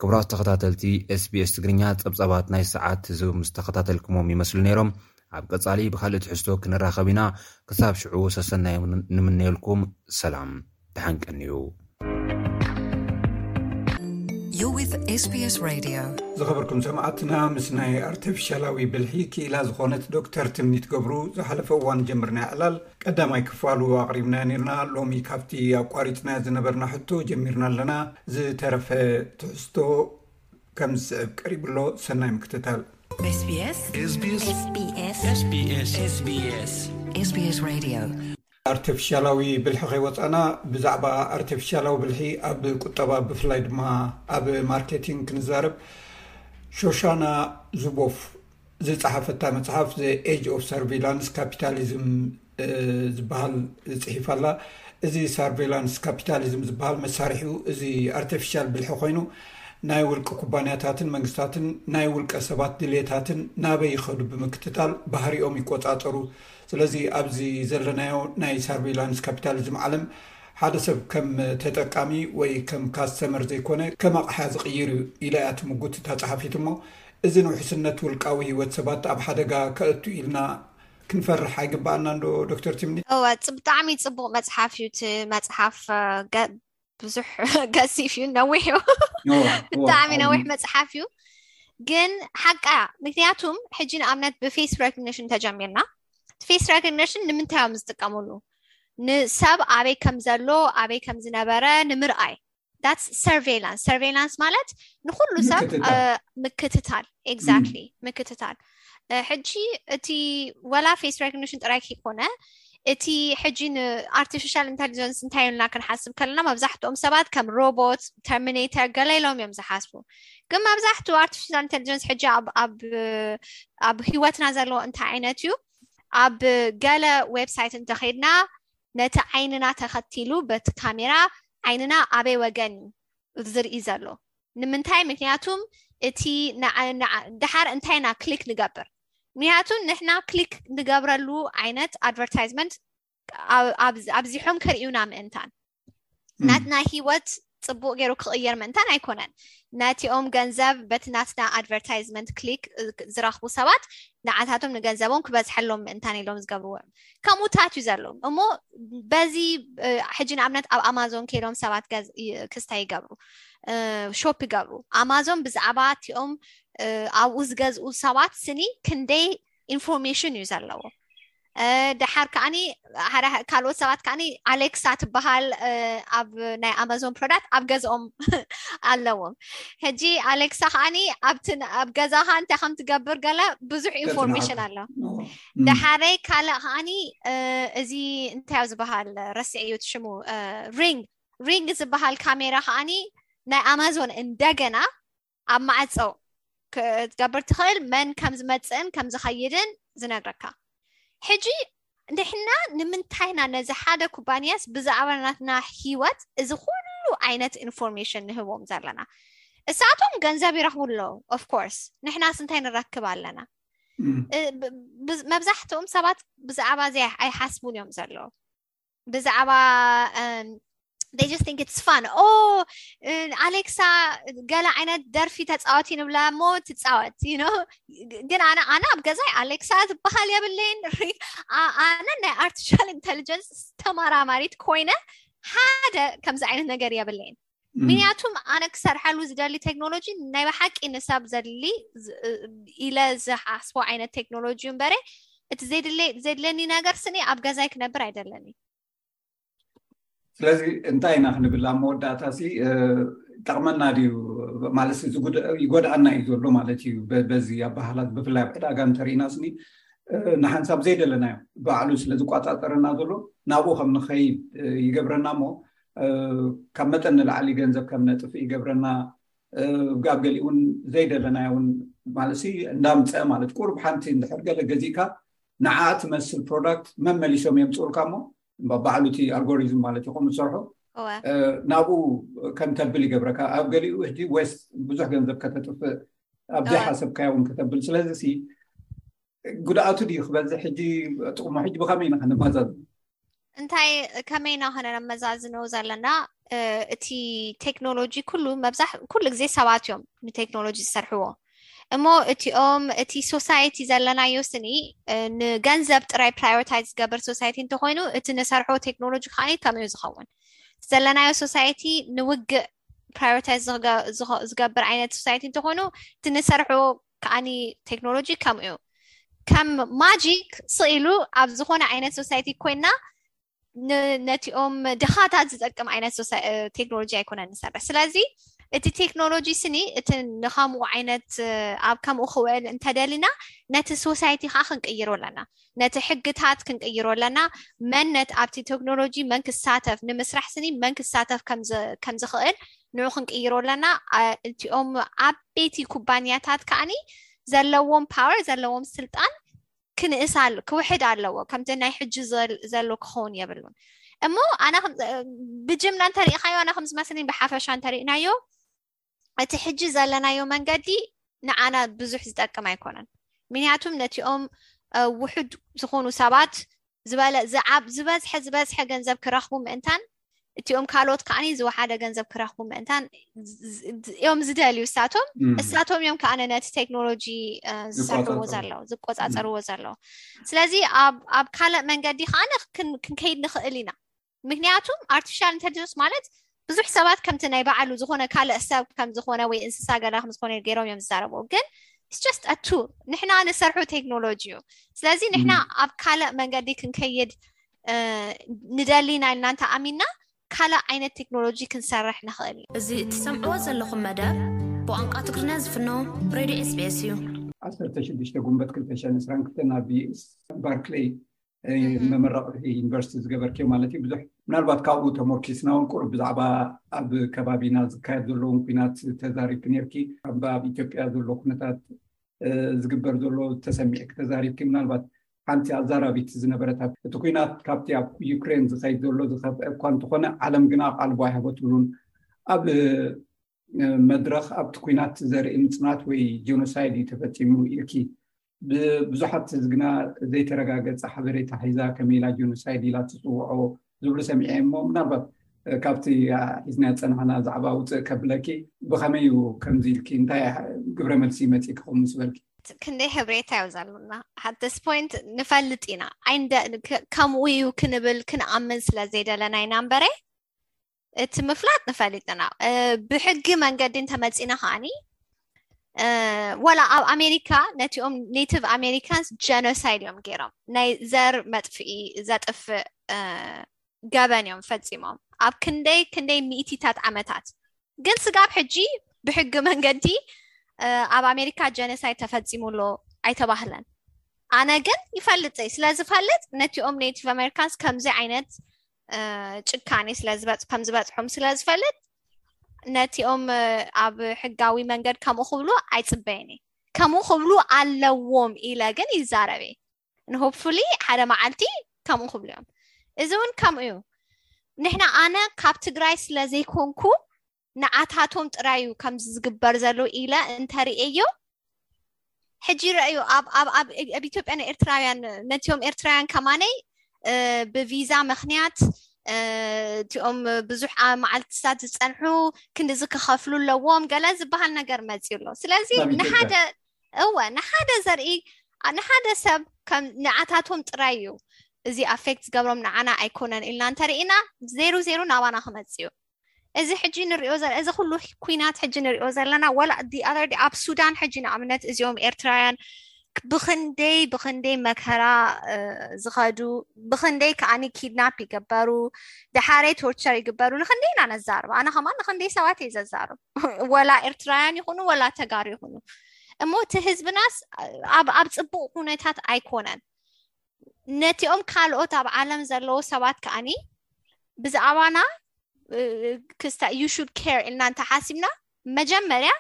ክቡራት ተኸታተልቲ ኤስ ቢ ኤስ ትግርኛ፣ ጸብጻባት ናይ ሰዓት እዚ ምስ ተኸታተልኩሞም ይመስሉ ነይሮም። ኣብ ቀጻሊ ብኻልእ ትሕዝቶ ክንራኸብ ኢና። ክሳብ ሽዑ ሰሰናዮም ንምነየልኩም። ሰላም፣ ደሓን ቀንዩ። You're with S B S Radio. ዝኸበርኩም ሰማዕትና፣ ምስ ናይ ኣርቲፊሻላዊ ብልሒ ክኢላ ዝኾነት ዶክተር ትምኒት ገብሩ ዝሓለፈ እዋን ጀምርናዮ ዕላል ቀዳማይ ክፋሉ ኣቕሪብናዮ ነይርና። ሎሚ ካብቲ ኣቋሪጽናዮ ዝነበርና ሕቶ ጀሚርና ኣለና። ዝተረፈ ትሕዝቶ ከም ዝስዕብ ቀሪቡ ኣሎ። ሰናይ ምክትታል። S B S። S B S። S B S። S B S። S B S Radio። ኣርቲፊሻላዊ ብልሒ ከይወፃና፣ ብዛዕባ ኣርቲፊሻላዊ ብልሒ ኣብ ቁጠባ፣ ብፍላይ ድማ ኣብ ማርኬቲንግ ክንዛረብ፣ ሾሻና ዙቦፍ ዝፀሓፈታ መፅሓፍ The Age of Surveillance Capitalism ዝበሃል ፅሒፋ ኣላ። እዚ ሳርቬይላንስ ካፒታሊዝም ዝበሃል መሳርሒኡ እዚ ኣርቲፊሻል ብልሒ ኮይኑ፣ ናይ ውልቂ ኩባንያታትን መንግስታትን ናይ ውልቀ ሰባት ድሌታትን ናበይ ይኸዱ ብምክትታል ባህሪኦም ይቆፃፀሩ። ስለዚ ኣብዚ ዘለናዮ ናይ ሳርቬይላንስ ካፒታሊዝም ዓለም፣ ሓደ ሰብ ከም ተጠቃሚ ወይ ከም ካስተመር ዘይኮነ፣ ከም ኣቕሓ ዝቕይር እዩ ኢላ እያ ትምጉት እታ ጸሓፊት። እሞ፣ እዚ ንውሕስነት ውልቃዊ ህይወት ሰባት ኣብ ሓደጋ ከእቱ ኢልና ክንፈርሕ ኣይግባኣና እንዶ፣ ዶክተር ትምኒ? እወ፣ ጽ-፣ ብጣዕሚ ጽቡቕ መጽሓፍ እዩ እቲ መጽሓፍ። እ፣ ገ-፣ ብዙሕ ገዚፍ እዩ፣ ነዊሕ እዩ። እወ፣ እወ፣ ብጣዕሚ ዓቢ። ነዊሕ መጽሓፍ እዩ። ግን ሓቃ፣ ምክንያቱም ሕጂ ንኣብነት ብፌስ ሬኮግኒሽን ተጀሚርና። ፌስ ሬኮግኒሽን ንምንታይ እዮም ዝጥቀሙሉ? ንሰብ ኣበይ ከም ዘሎ፣ ኣበይ ከም ዝነበረ ንምርኣይ። That's surveillance። Surveillance ማለት ንኹሉ ሰብ፣ ምክትታል። እ፣ ምክትታል። Exactly። ምክትታል። እ፣ ሕጂ እቲ ወላ ፌስ ሬኮግኒሽን ጥራይ ከይኮነ፣ እቲ ሕጂ ንኣርቲፊሻል ኢንተሊጀንስ እንታይ ኢልና ክንሓስብ ከለና፣ መብዛሕትኦም ሰባት ከም ሮቦት፣ ተርሚኔተር፣ ገለ ኢሎም እዮም ዝሓስቡ። ግን መብዛሕትኡ ኣርቲፊሻል ኢንተሊጀንስ ሕጂ ኣብ፣ ኣብ፣ ኣብ ህይወትና ዘለዎ እንታይ ዓይነት እዩ? ኣብ ገለ ዌብሳይት እንተኸይድና፣ ነቲ ዓይንና ተኸቲሉ በቲ ካሜራ ዓይንና ኣበይ ወገን እዩ ዝርኢ ዘሎ። ንምንታይ? ምክንያቱም እቲ ንዓ-፣ ንዓ-፣ ደሓር እንታይ ኢና ክሊክ ንገብር? ምክንያቱ ንሕና ክሊክ ንገብረሉ ዓይነት ኣድቨርታይዝመንት ኣብ-፣ ኣብ-፣ ኣብዚሖም ከርእዩና ምእንታን፣ ም። ናትና ህይወት ጽቡቕ ገይሩ ክቕየር ምእንታን ኣይኮነን። ነቲኦም ገንዘብ በቲ ናትና ኣድቨርታይዝመንት ክሊክ፣ እ፣ ዝረኽቡ ሰባት ንዓታቶም ንገንዘቦም ክበዝሐሎም ምእንታን ኢሎም ዝገብርዎ እዮም። ከምኡታት እዩ ዘሎ። እሞ በዚ፣ እ፣ ሕጂ ንኣብነት ኣብ ኣማዞን ከይዶም ሰባት ገዝ-፣ ይ-፣ ክስታይ ይገብሩ፣ እ፣ ሾፕ ይገብሩ። ኣማዞን ብዛዕባ እቲኦም፣ እ፣ ኣብኡ ዝገዝኡ ሰባት ስኒ ክንደይ ኢንፎርሜሽን እዩ ዘለዎ። ደሓር ከዓኒ ካልኦት ሰባት ከዓኒ ኣሌክሳ ትበሃል ኣብ ናይ ኣማዞን ፕሮዳክት ኣብ ገዝኦም ኣለዎም። ሕጂ ኣሌክሳ ከዓኒ ኣብቲ ኣብ ገዛኻ እንታይ ከም ትገብር ገለ ብዙሕ ኢንፎርሜሽን ኣሎ። ደሓረይ ካልእ ከዓኒ እዚ እንታይ ዝበሃል ረስዐ እዩ ሽሙ፣ ሪንግ ሪንግ ዝበሃል ካሜራ ከዓኒ ናይ ኣማዞን እንደገና ኣብ ማዕፀው ክትገብር ትኽእል፣ መን ከም ዝመፅእን ከም ዝኸይድን ዝነግረካ። ሕጂ ንሕና ንምንታይና ነዚ ሓደ ኩባንያስ ብዛዕባ ናትና ህይወት እዚ ኩሉ ዓይነት ኢንፎርሜሽን ንህቦም ዘለና? እሳቶም ገንዘብ ይረኽቡ ኣለዉ። ኦፍኮርስ ንሕናስ እንታይ ንረክብ ኣለና? መብዛሕትኦም ሰባት ብዛዕባ እዚ ኣይሓስቡን እዮም ዘለዉ። ብዛዕባ they just think it's fun. ኦ ኣሌክሳ ገለ ዓይነት ደርፊ ተፃወት ንብላ እሞ ትፃወት። ግን ኣነ ኣነ ኣብ ገዛይ ኣሌክሳ ዝበሃል የብለይን። ኣነ ናይ ኣርቲፊሻል ኢንቴሊጀንስ ተመራማሪት ኮይነ ሓደ ከምዚ ዓይነት ነገር የብለይን። ምክንያቱም ኣነ ክሰርሐሉ ዝደሊ ቴክኖሎጂ ናይ ብሓቂ ንሰብ ዘድሊ ኢለ ዝሓስቦ ዓይነት ቴክኖሎጂ እምበረ እቲ ዘድለኒ ነገር ስኒ ኣብ ገዛይ ክነብር ኣይደለኒ። ስለዚ እንታይ ኢና ክንብል ኣብ መወዳእታ ሲ ጠቕመና ድዩ ማለት ይጎድኣና እዩ ዘሎ ማለት እዩ። በዚ ኣባህላት ብፍላይ ኣብ ዕዳጋ እንተርኢና ስኒ ንሓንሳብ ዘይደለናዮ ባዕሉ ስለ ዝቋፃፀረና ዘሎ ናብኡ ከም ንኸይድ ይገብረና እሞ ካብ መጠን ንላዕሊ ገንዘብ ከም ነጥፍ ይገብረና። ኣብ ገሊኡ እውን ዘይደለናዮ እውን ማለት እንዳምፀ ማለት ቁሩብ ሓንቲ እንድሕር ገለ ገዚእካ ንዓ ትመስል ፕሮዳክት መመሊሶም የምፅኡልካ እሞ ባዕሉ እቲ ኣልጎሪዝም ማለት እዩ ከምኡ ዝሰርሑ ናብኡ ከም ተብል ይገብረካ። ኣብ ገሊኡ ሕጂ ዌስት ብዙሕ ገንዘብ ከተጥፍእ ኣብ ዘይሓሰብካዮ እውን ከተብል። ስለዚ ሲ ጉድኣቱ ድዩ ክበዝሕ ሕጂ ጥቕሙ ሕጂ ብኸመይ ኢና ከነመዛዝኖ? እንታይ ከመይ ኢና ከነመዛዝኖ ዘለና? እቲ ቴክኖሎጂ ኩሉ መብዛሕ ኩሉ ግዜ ሰባት እዮም ንቴክኖሎጂ ዝሰርሕዎ እሞ እቲኦም እቲ ሶሳይቲ ዘለናዮ ስኒ ንገንዘብ ጥራይ ፕራዮሪታይዝ ዝገብር ሶሳይቲ እንተኮይኑ እቲ ንሰርሖ ቴክኖሎጂ ከዓ ከምኡ ዝኸውን። ዘለናዮ ሶሳይቲ ንውግእ ፕራዮሪታይዝ ዝገብር ዓይነት ሶሳይቲ እንተኮይኑ እቲ ንሰርሖ ከዓኒ ቴክኖሎጂ ከምኡ እዩ። ከም ማጂክ ስኢሉ ኣብ ዝኾነ ዓይነት ሶሳይቲ ኮይና ነቲኦም ድኻታት ዝጠቅም ዓይነት ቴክኖሎጂ ኣይኮነን ንሰርሕ። ስለዚ እቲ ቴክኖሎጂ ስኒ እቲ ንከምኡ ዓይነት ኣብ ከምኡ ክውዕል እንተደሊና ነቲ ሶሳይቲ ከዓ ክንቅይሮ ኣለና፣ ነቲ ሕግታት ክንቅይሮ ኣለና። መን ነት ኣብቲ ቴክኖሎጂ መን ክሳተፍ ንምስራሕ ስኒ መን ክሳተፍ ከም ዝኽእል ንዑ ክንቅይሮ ኣለና። እቲኦም ዓበይቲ ኩባንያታት ከዓኒ ዘለዎም ፓወር ዘለዎም ስልጣን ክንእስ ክውሕድ ኣለዎ። ከምቲ ናይ ሕጂ ዘሎ ክኸውን የብሉን። እሞ ኣነ ብጅምላ እንተሪኢኻዮ ኣነ ከም ዝመስለኒ ብሓፈሻ እንተሪእናዮ እቲ ሕጂ ዘለናዮ መንገዲ ንዓና ብዙሕ ዝጠቅም ኣይኮነን። ምክንያቱም ነቲኦም ውሑድ ዝኾኑ ሰባት ዝበለ ዝዓብ ዝበዝሐ ዝበዝሐ ገንዘብ ክረኽቡ ምእንታን እቲኦም ካልኦት ከዓኒ ዝወሓደ ገንዘብ ክረኽቡ ምእንታን እዮም ዝደልዩ እሳቶም። እሳቶም እዮም ከዓነ ነቲ ቴክኖሎጂ ዝሰርሕዎ ዘለዉ ዝቆፃፀርዎ ዘለዉ። ስለዚ ኣብ ካልእ መንገዲ ከዓነ ክንከይድ ንኽእል ኢና። ምክንያቱም ኣርቲፊሻል ኢንቴሊጀንስ ማለት ብዙሕ ሰባት ከምቲ ናይ ባዕሉ ዝኾነ ካልእ ሰብ ከም ዝኾነ ወይ እንስሳ ገላ ከም ዝኾነ ገይሮም እዮም ዝዛረቡ። ግን just a tool ንሕና ንሰርሑ ቴክኖሎጂ እዩ። ስለዚ ንሕና ኣብ ካልእ መንገዲ ክንከይድ ንደሊ ኢና ኢልና እንተ ኣሚንና ካልእ ዓይነት ቴክኖሎጂ ክንሰርሕ ንኽእል። እዚ እትሰምዕዎ ዘለኹም መደብ ብቋንቋ ትግርኛ ዝፍኖ ሬድዮ ኤስቢኤስ እዩ። ዓሰርተ ሽዱሽተ ጉንበት ክልተ ሽሕን ዕስራን ክልተን ኣብ ዩኤስ ባርክሌይ መመረቂ ዩኒቨርሲቲ ዝገበርኪ ማለት እዩ። ብዙሕ ምናልባት ካብኡ ተሞርኪስና እውን ቁሩብ ብዛዕባ ኣብ ከባቢና ዝካየድ ዘለውን ኩናት ተዛሪብኪ ነርኪ። ኣብ ኢትዮጵያ ዘሎ ኩነታት ዝግበር ዘሎ ተሰሚዕኪ ተዛሪብኪ። ምናልባት ሓንቲ ኣዛራቢት ዝነበረት እቲ ኩናት ካብቲ ኣብ ዩክሬን ዝኸይድ ዘሎ ዝኸፍአ እኳ እንተኾነ ዓለም ግና ቃልቦ ኣይሃበትሉን። ኣብ መድረኽ ኣብቲ ኩናት ዘርኢ ምፅናት ወይ ጀኖሳይድ እዩ ተፈፂሙ ኢልኪ ብዙሓት ግና ዘይተረጋገፀ ሓበሬታ ሒዛ ከመይ ኢላ ጀኖሳይድ ኢላ ትፅውዖ ዝብሉ ሰሚዐ እሞ ምናልባት ካብቲ ሒዝና ዝፀናሕና ዛዕባ ውፅእ ከብለኪ ብኸመይ እዩ ከምዚ ኢልኪ እንታይ ግብረ መልሲ መፂ ክኸውን ምስ በልኪ? ክንደይ ሕብሬታ እዩ ዘሉና at this point ንፈልጥ ኢና ኣይንደ ከምኡ እዩ ክንብል ክንኣምን ስለ ዘይደለና ኢና እምበረ እቲ ምፍላጥ ንፈልጥ ኢና። ብሕጊ መንገዲ እንተመፂና ከዓኒ ወላ ኣብ ኣሜሪካ ነቲኦም ኔቲቭ ኣሜሪካንስ ጀኖሳይድ እዮም ገይሮም። ናይ ዘር መጥፍኢ ዘጥፍእ ገበን እዮም ፈፂሞም። ኣብ ክንደይ ክንደይ ሚእቲታት ዓመታት። ግን ስጋብ ሕጂ ብሕጊ መንገዲ ኣብ ኣሜሪካ ጀኖሳይድ ተፈፂሙ ኣሎ ኣይተባህለን። ኣነ ግን ይፈልጥ እየ። ስለዝፈልጥ ነቲኦም ኔቲቭ ኣሜሪካንስ ከምዚ ዓይነት ጭካኔ ከም ዝበፅሖም ስለዝፈልጥ ነቲኦም ኣብ ሕጋዊ መንገድ ከምኡ ክብሉ ኣይፅበይን እየ። ከምኡ ክብሉ ኣለዎም ኢለ ግን ይዛረብ እየ። ንሆፕፉሊ ሓደ መዓልቲ ከምኡ ክብሉ እዮም። እዚ እውን ከምኡ እዩ። ንሕና ኣነ ካብ ትግራይ ስለዘይኮንኩ ንዓታቶም ጥራይ እዩ ከምዚ ዝግበር ዘሎ ኢለ እንተርእየዮ ሕጂ ረእዩ ኣብ ኣብ ኣብ ኣብ ኢትዮጵያ ናይ ኤርትራውያን ነቲኦም ኤርትራውያን ከማነይ ብቪዛ ምክንያት እቲኦም ብዙሕ መዓልትታት ዝፀንሑ ክንድዚ ክኸፍሉ ኣለዎም ገለ ዝበሃል ነገር መፅዩ ኣሎ። ስለዚ ንሓደ እወ ንሓደ ዘርኢ ንሓደ ሰብ ከም ንዓታቶም ጥራይ እዩ እዚ ኣፌክት ዝገብሮም ንዓና ኣይኮነን ኢልና እንተርኢና ዜሩ ዜሩ ናባና ክመፅእ እዩ። እዚ ሕጂ ንሪኦ እዚ ኩሉ ኩናት ሕጂ ንሪኦ ዘለና ወላ other day ኣብ ሱዳን ሕጂ ንኣብነት እዚኦም ኤርትራውያን ብክንደይ ብክንደይ መከራ ዝኸዱ ብክንደይ ከዓኒ ኪድናፕ ይግበሩ ደሓረይ ቶርቸር ይግበሩ ንክንደይ ኢና ነዛርብ። ኣነ ከማን ንክንደይ ሰባት እየ ዘዛርብ ወላ ኤርትራውያን ይኹኑ ወላ ተጋሩ ይኹኑ። እሞ እቲ ህዝብናስ ኣብ ኣብ ፅቡቅ ኩነታት ኣይኮነን። ነቲኦም ካልኦት ኣብ ዓለም ዘለዉ ሰባት ከዓኒ ብዛዕባና ክስታ you should care ኢልና እንተሓሲብና መጀመርያ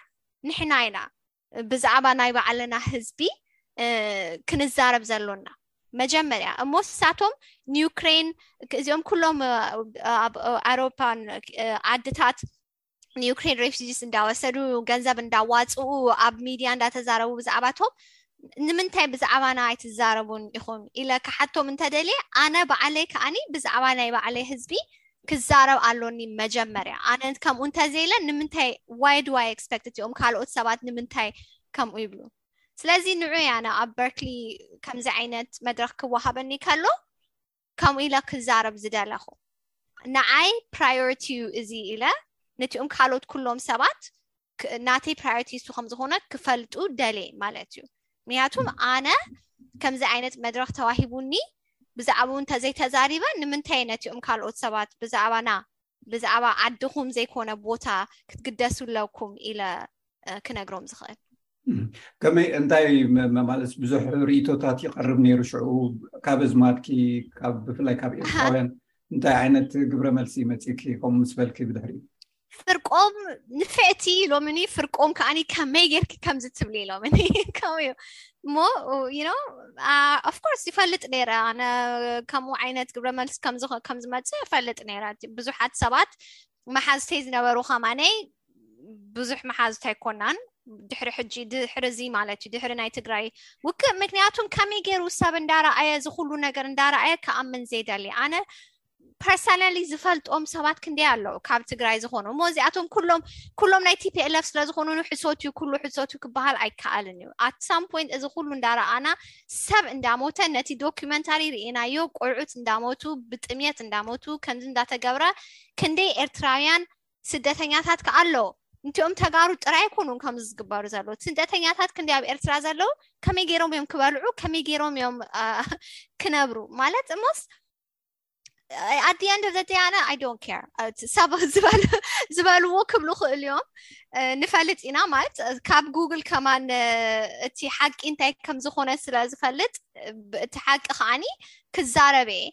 ንሕና ኢና ብዛዕባ ናይ ባዕልና ህዝቢ ክንዛረብ ዘሎና መጀመርያ። እሞ ንሳቶም ንዩክሬን እዚኦም ኩሎም ኣብ ኣውሮፓን ዓድታት ንዩክሬን ሬፊጂስ እንዳወሰዱ ገንዘብ እንዳዋፅኡ ኣብ ሚድያ እንዳተዛረቡ ብዛዕባቶም ንምንታይ ብዛዕባና ኣይትዛረቡን ኢኹም ኢለ ክሓቶም እንተደልየ ኣነ ባዕለይ ከዓኒ ብዛዕባ ናይ ባዕለይ ህዝቢ ክዛረብ ኣሎኒ መጀመርያ። ኣነ ከምኡ እንተዘይለ ንምንታይ why do I expect እቲኦም ካልኦት ሰባት ንምንታይ ከምኡ ይብሉ? ስለዚ ንዑ እየ ኣነ ኣብ በርክሊ ከምዚ ዓይነት መድረክ ክወሃበኒ ከሎ ከምኡ ኢለ ክዛረብ ዝደለኹ። ንዓይ ፕራዮሪቲ እዩ እዚ ኢለ ነቲኦም ካልኦት ኩሎም ሰባት ናተይ ፕራዮሪቲ እሱ ከም ዝኾነ ክፈልጡ ደልየ ማለት እዩ። ምክንያቱም ኣነ ከምዚ ዓይነት መድረክ ተዋሂቡኒ ብዛዕባኡ እንተዘይተዛሪበ ንምንታይ ነቲኦም ካልኦት ሰባት ብዛዕባና ብዛዕባ ዓድኹም ዘይኮነ ቦታ ክትግደሱ ኣለኩም ኢለ ክነግሮም ዝኽእል። ከመይ እንታይ ማለት ብዙሕ ርእቶታት ይቐርብ ነይሩ ሽዑ ካብ ኣዝማድኪ ብፍላይ ካብ ኤርትራውያን እንታይ ዓይነት ግብረ መልሲ መፂእኪ ከምኡ ምስ በልኪ ብድሕሪ ፍርቆም ንፍዕቲ ሎምኒ ፍርቆም ከዓኒ ከመይ ጌርኪ ከምዚ ትብሊ ኢሎምኒ ከምኡ እዩ እሞ you know of course ይፈልጥ ነይረ ኣነ ከምኡ ዓይነት ግብረ መልሲ ከም ዝመፅእ ይፈልጥ ነይረ ብዙሓት ሰባት መሓዝተይ ዝነበሩ ከማነይ ብዙሕ መሓዝት ኣይኮናን ድሕሪ ሕጂ ድሕሪ እዚ ማለት እዩ ድሕሪ ናይ ትግራይ ውክእ ምክንያቱም ከመይ ገይሩ ሰብ እንዳረኣየ እዚ ኩሉ ነገር እንዳረኣየ ክኣምን ዘይደሊ ኣነ ፐርሰናሊ ዝፈልጦም ሰባት ክንደይ ኣለዉ ካብ ትግራይ ዝኾኑ እሞ እዚኣቶም ኩሎም ኩሎም ናይ ቲፒኤልኤፍ ስለዝኾኑ ሕሶት እዩ ኩሉ ሕሶት እዩ ክበሃል ኣይከኣልን እዩ at some point እዚ ኩሉ እንዳረኣና ሰብ እንዳሞተ ነቲ ዶኪመንታሪ ርኢናዮ ቆልዑት እንዳሞቱ ብጥምየት እንዳሞቱ ከምዚ እንዳተገብረ ክንደይ ኤርትራውያን ስደተኛታት ከኣ ኣለዉ እንቲኦም ተጋሩ ጥራይ ኣይኮኑን ከምዚ ዝግበሩ ዘለዉ ስደተኛታት ክንደይ ኣብ ኤርትራ ዘለዉ ከመይ ገይሮም እዮም ክበልዑ ከመይ ገይሮም እዮም ክነብሩ ማለት እሞስ at the end of the day ኣነ I don't care ሰብ ዝበልዎ ክብሉ ክእል እዮም ንፈልጥ ኢና ማለት ካብ ጉግል ከማን እቲ ሓቂ እንታይ ከም ዝኾነ ስለ ዝፈልጥ እቲ ሓቂ ከዓኒ ክዛረብ እየ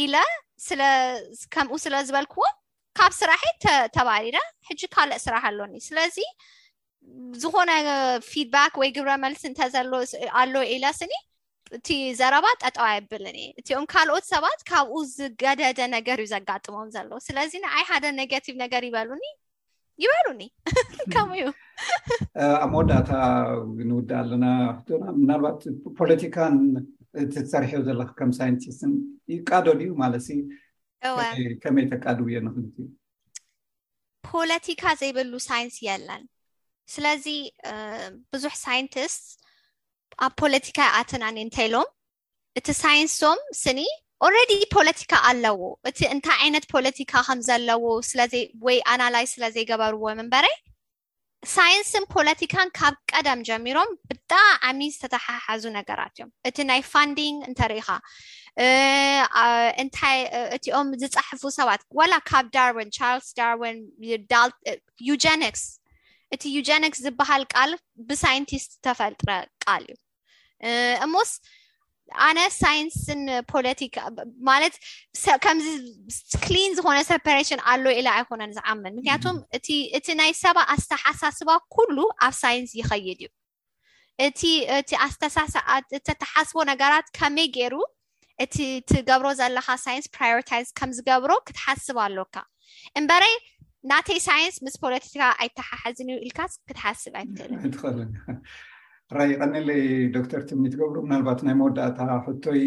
ኢለ ስለ ከምኡ ስለ ዝበልክዎ ካብ ስራሐይ ተባሪረ ሕጂ ካልእ ስራሕ ኣሎኒ ስለዚ ዝኾነ ፊድባክ ወይ ግብረ መልሲ እንተዘሎ ኣሎ ኢለ ስኒ እቲ ዘረባ ጠጠው ኣይብልን እየ እቲኦም ካልኦት ሰባት ካብኡ ዝገደደ ነገር እዩ ዘጋጥሞም ዘሎ ስለዚ ንዓይ ሓደ ኔጋቲቭ ነገር ይበሉኒ ይበሉኒ ከምኡ እዩ ኣብ መወዳእታ ንውዳእ ኣለና ሕቶና ምናልባት ፖለቲካን ትሰርሕዮ ዘለካ ከም ሳይንቲስትን ይቃዶ ድዩ ማለት ከመይ ተቃድውዮ ንክልቲ ፖለቲካ ዘይብሉ ሳይንስ የለን ስለዚ ብዙሕ ሳይንቲስት ኣብ ፖለቲካ ይኣተናኒ እንተኢሎም እቲ ሳይንሶም ስኒ already ፖለቲካ ኣለዎ እቲ እንታይ ዓይነት ፖለቲካ ከም ዘለዎ ወይ ኣናላይዝ ስለ ዘይገበርዎ ምንበረይ ሳይንስን ፖለቲካን ካብ ቀደም ጀሚሮም ብጣዕሚ ዝተተሓሓዙ ነገራት እዮም። እቲ ናይ ፋንዲንግ እንተሪኢኻ እንታይ እቲኦም ዝፀሕፉ ሰባት፣ ወላ ካብ ዳርዊን፣ ቻርልስ ዳርዊን፣ ዩጀኒክስ፣ እቲ ዩጀኒክስ ዝበሃል ቃል ብሳይንቲስት ዝተፈጥረ ቃል እዩ። እሞስ ኣነ ሳይንስን ፖለቲካ ማለት ከምዚ ክሊን ዝኾነ ሰፐሬሽን ኣሎ ኢለ ኣይኮነን ዝኣምን። ምክንያቱም እቲ ናይ ሰባ ኣስተሓሳስባ ኩሉ ኣብ ሳይንስ ይኸይድ እዩ። እቲ እቲ ኣስተሳሰ እተተሓስቦ ነገራት ከመይ ገይሩ እቲ ትገብሮ ዘለካ ሳይንስ ፕራዮሪታይዝ ከም ዝገብሮ ክትሓስብ ኣሎካ እምበረይ ናተይ ሳይንስ ምስ ፖለቲካ ኣይተሓሓዝን እዩ ኢልካስ ክትሓስብ ኣይትኽእልን። ራይ ቀነለይ ዶክተር ትምኒት ገብሩ፣ ምናልባት ናይ መወዳእታ ሕቶይ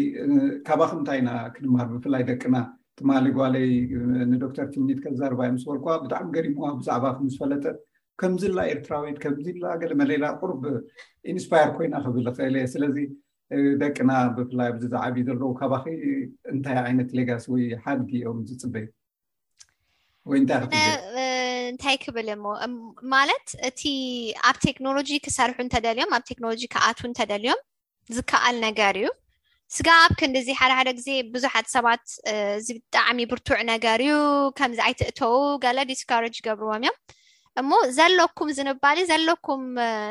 ካባኹም እንታይ ኢና ክንምሃር፣ ብፍላይ ደቅና? ትማሊ ጓለይ ንዶክተር ትምኒት ከዛርባ ምስ በልኳ ብጣዕሚ ገሪምዋ፣ ብዛዕባ ምስ ፈለጠት ከምዚላ ኤርትራዊት ከምዚላ ገለ መሌላ ቁርብ ኢንስፓየር ኮይና ክብል እኽእል እየ። ስለዚ ደቅና ብፍላይ ኣብዚ ዝዓብዩ ዘለዉ ካባኺ እንታይ ዓይነት ሌጋሲ ወይ ሓድጊ እዮም ዝፅበዩ? ወይ እንታይ ክትብል? እንታይ ክብል እሞ ማለት እቲ ኣብ ቴክኖሎጂ ክሰርሑ እንተደልዮም ኣብ ቴክኖሎጂ ክኣትዉ እንተደልዮም ዝከኣል ነገር እዩ። ስጋብ ክንድዚ ሓደ ሓደ ግዜ ብዙሓት ሰባት እዚ ብጣዕሚ ብርቱዕ ነገር እዩ ከምዚ ኣይትእተዉ ገለ ዲስካሬጅ ይገብርዎም እዮም። እሞ ዘለኩም ዝንባሌ ዘለኩም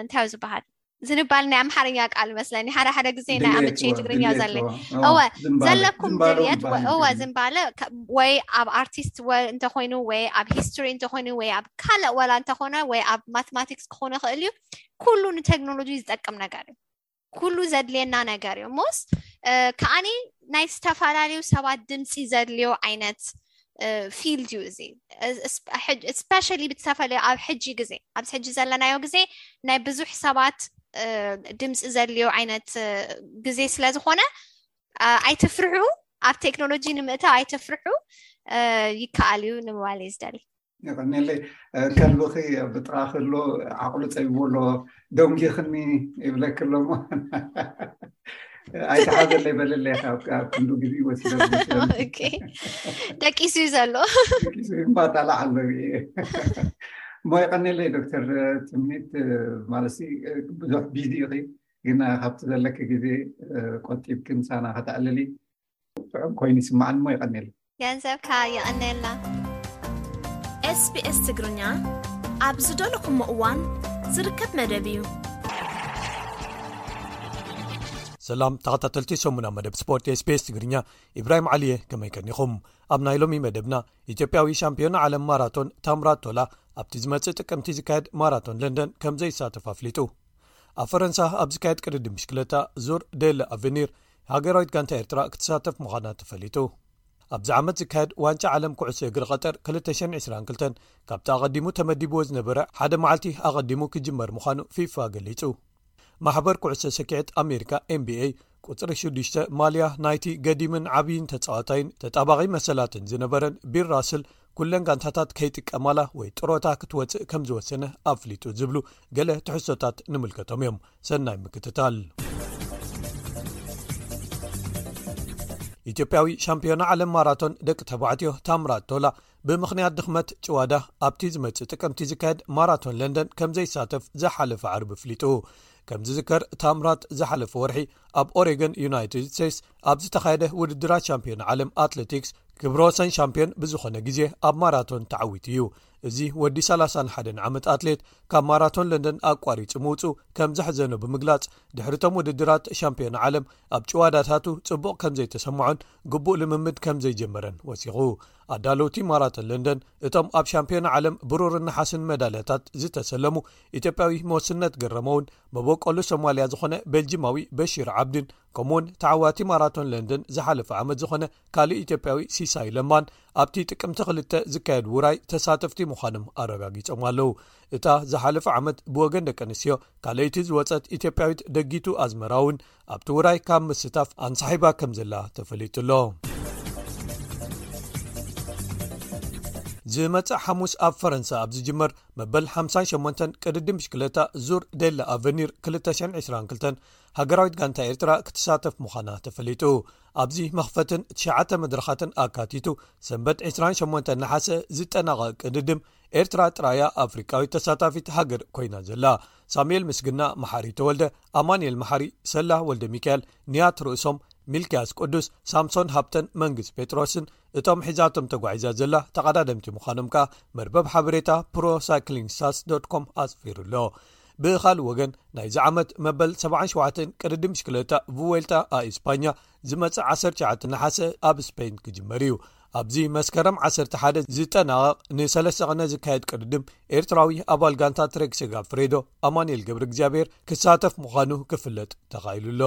እንታይ እዩ ዝበሃል ዝንባል ናይ ኣምሓርኛ ቃል መስለኒ ሓደ ሓደ ግዜ ናይ ኣምቼ ትግርኛ ዘለ እወ ዘለኩም ድልየት እወ ዝንባለ ወይ ኣብ ኣርቲስት እንተኮይኑ ወይ ኣብ ሂስትሪ እንተኮይኑ ወይ ኣብ ካልእ ወላ እንተኮነ ወይ ኣብ ማቴማቲክስ ክኾነ ይኽእል እዩ። ኩሉ ንቴክኖሎጂ ዝጠቅም ነገር እዩ። ኩሉ ዘድልየና ነገር እዩ። ሞስ ከዓኒ ናይ ዝተፈላለዩ ሰባት ድምፂ ዘድልዮ ዓይነት ፊልድ እዩ እዚ። ስፔሻሊ ብዝተፈለዩ ኣብ ሕጂ ግዜ ኣብዚ ሕጂ ዘለናዮ ግዜ ናይ ብዙሕ ሰባት ድምፂ ዘድልዮ ዓይነት ግዜ ስለዝኾነ ኣይትፍርሑ። ኣብ ቴክኖሎጂ ንምእታው ኣይትፍርሑ። ይከኣል እዩ ንምባል እዩ ዝደሊ። የቐኔለይ። ከልብኺ ብጥራ ከሎ ዓቕሉ ፀቢቦ ኣሎ። ደንጊኽኒ ይብለኪ ኣሎ እሞ ኣይተሓዘለይ በለለይ። ካብ ክንዱ ግዜ ወሲደ ደቂሱ እዩ ዘሎ። እምባጣላዕ ኣሎ። እሞ የቐኔለይ ዶክተር ትምኒት፣ ማለት ብዙሕ ቢዚ ኢኺ፣ ግን ካብቲ ዘለኪ ግዜ ቆጢብኪ ምሳና ከተዕልሊ ጥዑም ኮይኑ ይስማዓኒ። እሞ የቐኔለይ። ገንዘብካ የቐኔልና። ኤስቢኤስ ትግርኛ ኣብ ዝደለኹሞ እዋን ዝርከብ መደብ እዩ። ሰላም ተኸታተልቲ ሰሙና መደብ ስፖርት ኤስቢኤስ ትግርኛ፣ ኢብራሂም ዓሊየ፣ ከመይ ከኒኹም? ኣብ ናይ ሎሚ መደብና ኢትዮጵያዊ ሻምፒዮን ዓለም ማራቶን ታምራት ቶላ ኣብቲ ዝመጽእ ጥቅምቲ ዝካየድ ማራቶን ለንደን ከም ዘይሳተፍ ኣፍሊጡ። ኣብ ፈረንሳ ኣብ ዝካየድ ቅድድም ብሽክለታ ዙር ዴል ኣቨኒር ሃገራዊት ጋንታ ኤርትራ ክትሳተፍ ምዃና ተፈሊጡ። ኣብዚ ዓመት ዝካየድ ዋንጫ ዓለም ኩዕሶ እግሪ ቀጠር ክልተ ሽሕን ዕስራን ክልተን ካብቲ ኣቐዲሙ ተመዲብዎ ዝነበረ ሓደ መዓልቲ ኣቐዲሙ ክጅመር ምዃኑ ፊፋ ገሊጹ። ማሕበር ኩዕሶ ሰኪዐት ኣሜሪካ ኤንቢኤ ቁጽሪ ሽዱሽተ ማልያ ናይቲ ገዲምን ዓብይን ተጻዋታይን ተጣባቒ መሰላትን ዝነበረን ቢል ራስል ኩለን ጋንታታት ከይጥቀማላ ወይ ጥሮታ ክትወጽእ ከም ዝወሰነ ኣፍሊጡ ዝብሉ ገለ ትሕዝቶታት ንምልከቶም እዮም። ሰናይ ምክትታል። ኢትዮጵያዊ ሻምፒዮና ዓለም ማራቶን ደቂ ተባዕትዮ ታምራት ቶላ ብምኽንያት ድኽመት ጭዋዳ ኣብቲ ዝመጽእ ጥቅምቲ ዝካየድ ማራቶን ለንደን ከም ዘይሳተፍ ዝሓለፈ ዓርቢ ኣፍሊጡ። ከም ዝዝከር ታምራት ዝሓለፈ ወርሒ ኣብ ኦሬገን ዩናይትድ ስቴትስ ኣብ ዝተኻየደ ውድድራት ሻምፒዮን ዓለም ኣትሌቲክስ ክብረ ወሰን ሻምፒዮን ብዝኾነ ግዜ ኣብ ማራቶን ተዓዊቱ እዩ። እዚ ወዲ ሰላሳን ሓደን ዓመት ኣትሌት ካብ ማራቶን ለንደን ኣቋሪጹ ምውጹ ከም ዘሕዘኖ ብምግላጽ ድሕሪቶም ውድድራት ሻምፒዮን ዓለም ኣብ ጭዋዳታቱ ጽቡቕ ከም ዘይተሰምዖን ግቡእ ልምምድ ከም ዘይጀመረን ወሲኹ። ኣዳለውቲ ማራቶን ለንደን እቶም ኣብ ሻምፒዮን ዓለም ብሩርን ነሓስን መዳልያታት ዝተሰለሙ ኢትዮጵያዊ መወስነት ገረመውን መበቆሉ ሶማልያ ዝኾነ ቤልጂማዊ በሺር ዓብድን ከምኡውን ተዓዋቲ ማራቶን ለንደን ዝሓለፈ ዓመት ዝኾነ ካልእ ኢትዮጵያዊ ሲሳይ ለማን ኣብቲ ጥቅምቲ ክልተ ዝካየድ ውራይ ተሳተፍቲ ምዃኖም ኣረጋጊጾም ኣለዉ። እታ ዝሓለፈ ዓመት ብወገን ደቂ ኣንስትዮ ካልኣይቲ ዝወጸት ኢትዮጵያዊት ደጊቱ ኣዝመራ እውን ኣብቲ ውራይ ካብ ምስታፍ ኣንሳሒባ ከም ዘላ ተፈሊጡ ኣሎ። ዝመጽእ ሓሙስ ኣብ ፈረንሳ ኣብ ዝጅመር መበል ሓምሳን ሸሞንተን ቅድድም ብሽክለታ ዙር ዴላ ኣቨኒር ክልተ ሽሕን ዕስራን ክልተን ሃገራዊት ጋንታ ኤርትራ ክትሳተፍ ምዃና ተፈሊጡ። ኣብዚ መኽፈትን ትሽዓተ መድረኻትን ኣካቲቱ ሰንበት ዕስራን ሸሞንተን ነሓሰ ዝጠናቐቕ ቅድድም ኤርትራ ጥራያ ኣፍሪቃዊት ተሳታፊት ሃገር ኮይና ዘላ። ሳሙኤል ምስግና፣ መሓሪ ተወልደ፣ ኣማኑኤል መሓሪ፣ ሰላ ወልደ ሚካኤል፣ ንያት ርእሶም፣ ሚልክያስ ቅዱስ፣ ሳምሶን ሃብተን መንግስ ጴጥሮስን እቶም ሒዛቶም ተጓዒዛ ዘላ ተቐዳደምቲ ምዃኖም ከኣ መርበብ ሓበሬታ ፕሮ ሳይክሊንግ ስታትስ ዶት ኮም ኣስፊሩ ኣሎ። ብኻልእ ወገን ናይዚ ዓመት መበል ሰብዓን ሸውዓተን ቅድድም ብሽክለታ ቭዌልታ ኣ ኢስፓኛ ዝመጽእ ዓሰርተ ትሽዓተ ነሓሰ ኣብ ስፔን ክጅመር እዩ። ኣብዚ መስከረም ዓሰርተ ሓደ ዝጠናቐቕ ንሰለስተ ቀነ ዝካየድ ቅድድም ኤርትራዊ ኣባል ጋንታ ትሬክ ሴጋፍሬዶ ኣማኑኤል ገብረ እግዚኣብሔር ክሳተፍ ምዃኑ ክፍለጥ ተኻኢሉ ኣሎ።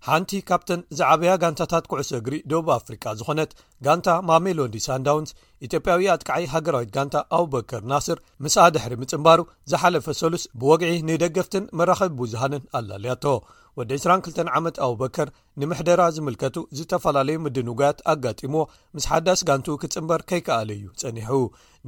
ሓንቲ ካብተን ዝዓበያ ጋንታታት ኩዕሶ እግሪ ደቡብ ኣፍሪቃ ዝኾነት ጋንታ ማሜሎዲ ሳንዳውንስ፣ ኢትዮጵያዊ ኣጥቃዓይ ሃገራዊት ጋንታ ኣቡበከር ናስር ምስኣ ድሕሪ ምጽንባሩ ዝሓለፈ ሰሉስ ብወግዒ ንደገፍትን መራኸቢ ብዙሃንን ኣላልያቶ። ወዲ ዕስራን ክልተን ዓመት ኣቡበከር ንምሕደራ ዝምልከቱ ዝተፈላለዩ ምድንጓያት ኣጋጢምዎ ምስ ሓዳስ ጋንቱ ክጽንበር ከይከኣለ እዩ ጸኒሑ።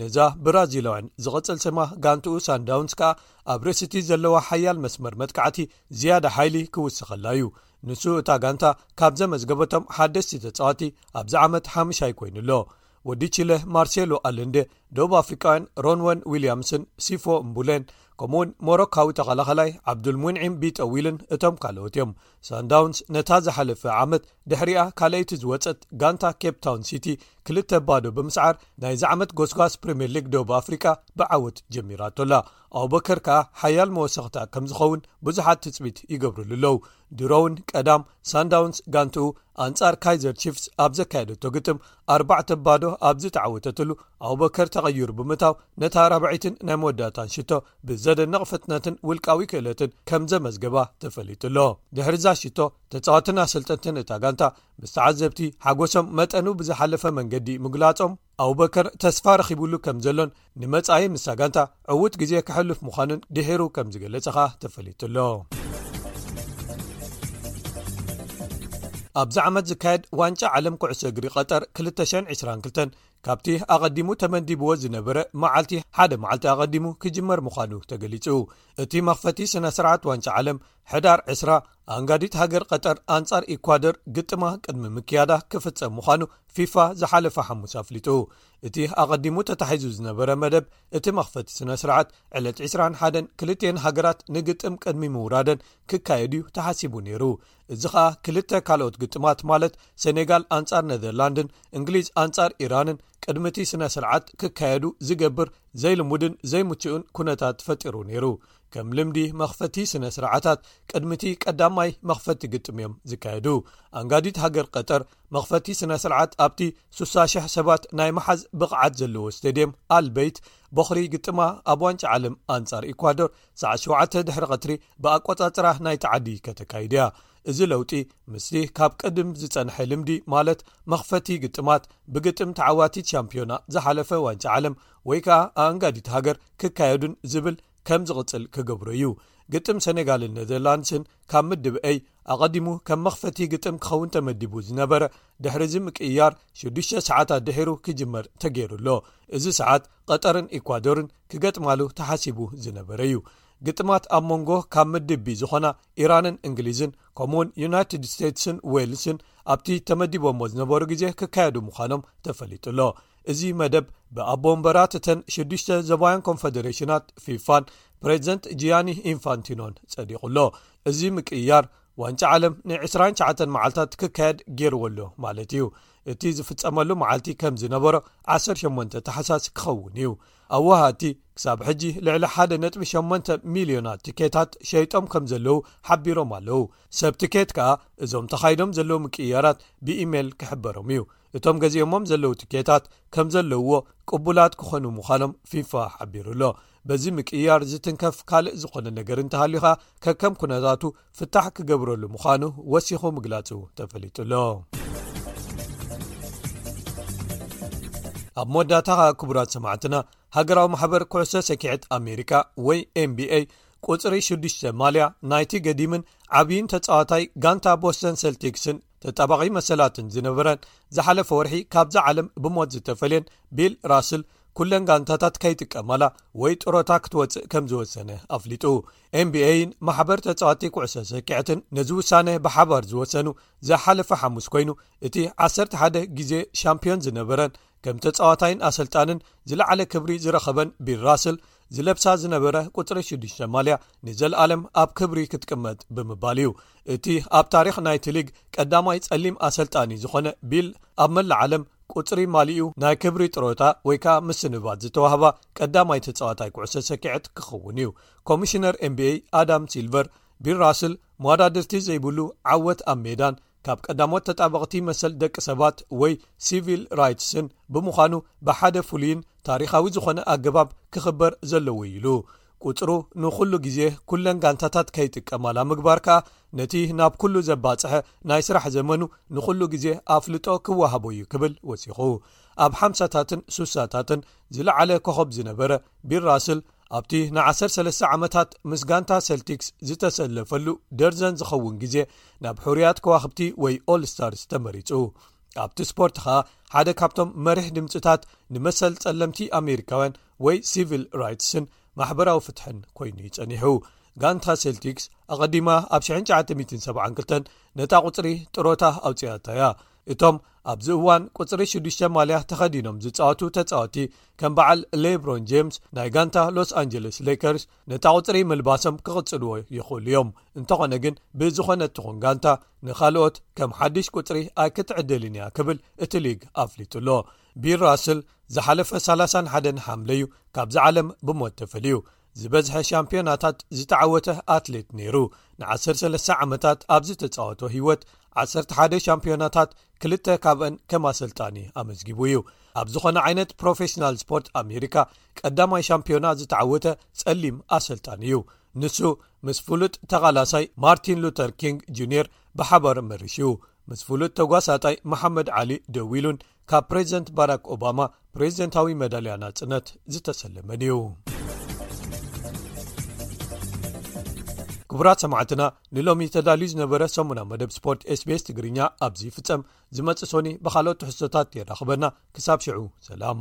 ነዛ ብራዚላውያን ዝቕጽል ስማ ጋንትኡ ሳንዳውንስ ከኣ ኣብ ርእሲቲ ዘለዋ ሓያል መስመር መጥቃዕቲ ዝያዳ ሓይሊ ክውስኸላ እዩ። ንሱ እታ ጋንታ ካብ ዘመዝገበቶም ሓደስቲ ተጻዋቲ ኣብዚ ዓመት ሓምሻይ ኮይኑ ኣሎ። ወዲ ቺለ ማርሴሎ ኣለንደ፣ ደቡብ ኣፍሪቃውያን ሮንወን ዊልያምስን ሲፎ እምቡሌን፣ ከምኡውን ሞሮካዊ ተኸላኸላይ ዓብዱልሙንዒም ቢጠዊልን እቶም ካልኦት እዮም። ሳንዳውንስ ነታ ዝሓለፈ ዓመት ድሕሪኣ ካልኣይቲ ዝወጸት ጋንታ ኬፕ ታውን ሲቲ ክልተ ባዶ ብምስዓር ናይዚ ዓመት ጎስጓስ ፕሪምየር ሊግ ደቡብ ኣፍሪቃ ብዓወት ጀሚራቶላ። ኣቡበከር ከኣ ሓያል መወሰኽታ ከም ዝኸውን ብዙሓት ትጽቢት ይገብርሉ ኣለዉ። ድሮውን ቀዳም ሳንዳውንስ ጋንትኡ ኣንጻር ካይዘር ቺፍስ ኣብ ዘካየደቶ ግጥም ኣርባዕተ ባዶ ኣብ ዝተዓወተትሉ ኣቡበከር ተቐይሩ ብምታው ነታ ራብዐይትን ናይ መወዳእታን ሽቶ ብዘደንቕ ፍጥነትን ውልቃዊ ክእለትን ከም ዘመዝገባ ተፈሊጡ ኣሎ። ድሕሪዛ ሽቶ ተጻዋትን ኣሰልጠንትን እታ ጋንታ ምስ ተዓዘብቲ ሓጎሶም መጠኑ ብዝሓለፈ መንገዲ ምግላጾም ኣቡበከር ተስፋ ረኺቡሉ ከም ዘሎን ንመጻኢ ምስታ ጋንታ ዕዉት ግዜ ከሕልፍ ምዃኑን ድሒሩ ከም ዝገለጸ ኸኣ ተፈሊጡ ኣሎ። ኣብዚ ዓመት ዝካየድ ዋንጫ ዓለም ኩዕሶ እግሪ ቀጠር ክልተ ሽሕን ዕስራን ክልተን ካብቲ ኣቐዲሙ ተመዲብዎ ዝነበረ መዓልቲ ሓደ መዓልቲ ኣቐዲሙ ክጅመር ምዃኑ ተገሊጹ። እቲ መኽፈቲ ስነ ስርዓት ዋንጫ ዓለም ሕዳር ዕስራ ኣንጋዲት ሃገር ቀጠር ኣንጻር ኢኳዶር ግጥማ ቅድሚ ምክያዳ ክፍጸም ምዃኑ ፊፋ ዝሓለፈ ሓሙስ ኣፍሊጡ። እቲ ኣቐዲሙ ተታሒዙ ዝነበረ መደብ እቲ መኽፈቲ ስነ ስርዓት ዕለት ዕስራን ሓደን ክልቲኤን ሃገራት ንግጥም ቅድሚ ምውራደን ክካየድ እዩ ተሓሲቡ ነይሩ። እዚ ኸኣ ክልተ ካልኦት ግጥማት ማለት ሰኔጋል ኣንጻር ኔዘርላንድን እንግሊዝ ኣንጻር ኢራንን ቅድሚ እቲ ስነ ስርዓት ክካየዱ ዝገብር ዘይልሙድን ዘይምቹእን ኩነታት ፈጢሩ ነይሩ። ከም ልምዲ መኽፈቲ ስነ ስርዓታት ቅድሚ እቲ ቀዳማይ መኽፈቲ ግጥም እዮም ዝካየዱ። ኣንጋዲት ሃገር ቀጠር መኽፈቲ ስነ ስርዓት ኣብቲ ስሳ ሽሕ ሰባት ናይ መሓዝ ብቕዓት ዘለዎ ስቴድየም ኣልበይት ቦኽሪ ግጥማ ኣብ ዋንጫ ዓለም ኣንጻር ኢኳዶር ሰዓት ሸውዓተ ድሕሪ ቀትሪ ብኣቆጻጽራ ናይቲ ዓዲ ከተካይድ እያ። እዚ ለውጢ ምስቲ ካብ ቅድም ዝጸንሐ ልምዲ ማለት መኽፈቲ ግጥማት ብግጥም ተዓዋቲት ሻምፒዮና ዝሓለፈ ዋንጫ ዓለም ወይ ከኣ ኣንጋዲት ሃገር ክካየዱን ዝብል ከም ዝቕጽል ክገብሮ እዩ። ግጥም ሰኔጋልን ኔዘርላንድስን ካብ ምድብ ኤይ ኣቐዲሙ ከም መኽፈቲ ግጥም ክኸውን ተመዲቡ ዝነበረ ድሕሪ እዚ ምቅይያር ሽዱሽተ ሰዓታት ድሒሩ ክጅመር ተገይሩ ኣሎ። እዚ ሰዓት ቀጠርን ኢኳዶርን ክገጥማሉ ተሓሲቡ ዝነበረ እዩ። ግጥማት ኣብ መንጎ ካብ ምድብ ቢ ዝኾና ኢራንን እንግሊዝን ከምኡውን ዩናይትድ ስቴትስን ዌልስን ኣብቲ ተመዲቦሞ ዝነበሩ ግዜ ክካየዱ ምዃኖም ተፈሊጡ ኣሎ። እዚ መደብ ብኣቦ ወንበራት እተን ሽዱሽተ ዞባውያን ኮንፈደሬሽናት ፊፋን ፕሬዚደንት ጂያኒ ኢንፋንቲኖን ጸዲቑ ኣሎ። እዚ ምቅይያር ዋንጫ ዓለም ን ዕስራን ትሽዓተን መዓልታት ክካየድ ገይርዎ ኣሎ ማለት እዩ። እቲ ዝፍጸመሉ መዓልቲ ከም ዝነበሮ ዓሰርተ ሸሞንተ ታሕሳስ ክኸውን እዩ። ኣወሃድቲ ክሳብ ሕጂ ልዕሊ ሓደ ነጥቢ ሸሞንተ ሚልዮናት ትኬታት ሸይጦም ከም ዘለዉ ሓቢሮም ኣለዉ። ሰብ ትኬት ከኣ እዞም ተኻይዶም ዘለዉ ምቅይያራት ብኢሜይል ክሕበሮም እዩ። እቶም ገዚኦሞም ዘለዉ ትኬታት ከም ዘለውዎ ቅቡላት ክኾኑ ምዃኖም ፊፋ ሓቢሩ ኣሎ። በዚ ምቅይያር ዝትንከፍ ካልእ ዝኾነ ነገር እንተሃልዩ ኸኣ ከከም ኩነታቱ ፍታሕ ክገብረሉ ምዃኑ ወሲኹ ምግላጹ ተፈሊጡ ኣሎ። ኣብ መወዳእታ ኸኣ ክቡራት ሰማዕትና፣ ሃገራዊ ማሕበር ኩዕሶ ሰኪዐት ኣሜሪካ ወይ ኤን ቢ ኤ ቁጽሪ ሽዱሽተ ማልያ ናይቲ ገዲምን ዓብይን ተጻዋታይ ጋንታ ቦስተን ሰልቲክስን ተጣባቒ መሰላትን ዝነበረን፣ ዝሓለፈ ወርሒ ካብዛ ዓለም ብሞት ዝተፈልየን ቢል ራስል፣ ኩለን ጋንታታት ከይጥቀማላ ወይ ጥሮታ ክትወጽእ ከም ዝወሰነ ኣፍሊጡ። ኤንቢኤይን ማሕበር ተጻዋቲ ኩዕሶ ሰኪዐትን ነዚ ውሳነ ብሓባር ዝወሰኑ ዝሓለፈ ሓሙስ ኮይኑ፣ እቲ ዓሰርተ ሓደ ግዜ ሻምፒዮን ዝነበረን ከም ተጻዋታይን ኣሰልጣንን ዝለዓለ ክብሪ ዝረኸበን ቢል ራስል ዝለብሳ ዝነበረ ቁጽሪ ሽዱሽተ ማልያ ንዘለኣለም ኣብ ክብሪ ክትቅመጥ ብምባል እዩ። እቲ ኣብ ታሪኽ ናይቲ ሊግ ቀዳማይ ጸሊም ኣሰልጣኒ ዝኾነ ቢል፣ ኣብ መላእ ዓለም ቁጽሪ ማሊኡ ናይ ክብሪ ጥሮታ ወይ ከዓ ምስንባት ዝተዋህባ ቀዳማይ ተጻዋታይ ኩዕሶ ሰኪዐት ክኸውን እዩ። ኮሚሽነር ኤንቢኤይ ኣዳም ሲልቨር፣ ቢል ራስል መወዳድርቲ ዘይብሉ ዓወት ኣብ ሜዳን ካብ ቀዳሞት ተጣበቕቲ መሰል ደቂ ሰባት ወይ ሲቪል ራይትስን ብምዃኑ፣ ብሓደ ፍሉይን ታሪኻዊ ዝኾነ ኣገባብ ክኽበር ዘለዎ እዩ ኢሉ። ቁጽሩ ንኹሉ ግዜ ኩለን ጋንታታት ከይጥቀማላ ምግባር ከኣ፣ ነቲ ናብ ኩሉ ዘባጽሐ ናይ ስራሕ ዘመኑ ንኹሉ ግዜ ኣፍልጦ ክወሃቦ እዩ ክብል ወሲኹ። ኣብ ሓምሳታትን ሱሳታትን ዝለዓለ ኮኸብ ዝነበረ ቢል ራስል፣ ኣብቲ ንዓሰርተ ሰለስተ ዓመታት ምስ ጋንታ ሰልቲክስ ዝተሰለፈሉ ደርዘን ዝኸውን ግዜ ናብ ሕሩያት ከዋኽብቲ ወይ ኦል ስታርስ ተመሪጹ። ኣብቲ ስፖርት ኸኣ ሓደ ካብቶም መሪሕ ድምጽታት ንመሰል ጸለምቲ ኣሜሪካውያን ወይ ሲቪል ራይትስን ማሕበራዊ ፍትሕን ኮይኑ እዩ ጸኒሑ። ጋንታ ሴልቲክስ ኣቐዲማ ኣብ ሽሕን ትሽዓተ ሚእትን ሰብዓን ክልተን ነታ ቁጽሪ ጥሮታ ኣውጺኣታ እያ። እቶም ኣብዚ እዋን ቁጽሪ ሽዱሽተ ማልያ ተኸዲኖም ዝጻወቱ ተጻወቲ ከም በዓል ሌብሮን ጄምስ ናይ ጋንታ ሎስ ኣንጀለስ ሌከርስ ነታ ቁጽሪ ምልባሶም ክቕጽልዎ ይኽእሉ እዮም። እንተኾነ ግን ብዝኾነ ትኹን ጋንታ ንኻልኦት ከም ሓድሽ ቁጽሪ ኣይክትዕደልን እያ ክብል እቲ ሊግ ኣፍሊጡ ኣሎ። ቢል ራስል ዝሓለፈ ሰላሳን ሓደን ሓምለ እዩ ካብዚ ዓለም ብሞት ተፈልዩ። ዝበዝሐ ሻምፒዮናታት ዝተዓወተ ኣትሌት ነይሩ። ንዓሰርተ ሰለስተ ዓመታት ኣብ ዝተጻወቶ ህይወት ዓሰርተ ሓደ ሻምፒዮናታት፣ ክልተ ካብአን ከም ኣሰልጣኒ ኣመዝጊቡ እዩ። ኣብ ዝኾነ ዓይነት ፕሮፌሽናል ስፖርት ኣሜሪካ ቀዳማይ ሻምፒዮና ዝተዓወተ ጸሊም ኣሰልጣኒ እዩ። ንሱ ምስ ፍሉጥ ተቓላሳይ ማርቲን ሉተር ኪንግ ጁኒየር ብሓባር መሪሹ። ምስ ፍሉጥ ተጓሳጣይ መሓመድ ዓሊ ደዊሉን ካብ ፕሬዚደንት ባራክ ኦባማ ፕሬዚደንታዊ መዳልያ ናጽነት ዝተሰለመን እዩ። ክቡራት ሰማዕትና፣ ንሎሚ ተዳልዩ ዝነበረ ሰሙና መደብ ስፖርት ኤስቢኤስ ትግርኛ ኣብዚ ይፍጸም። ዝመጽእ ሶኒ ብኻልኦት ትሕዝቶታት የራኽበና። ክሳብ ሽዑ ሰላም።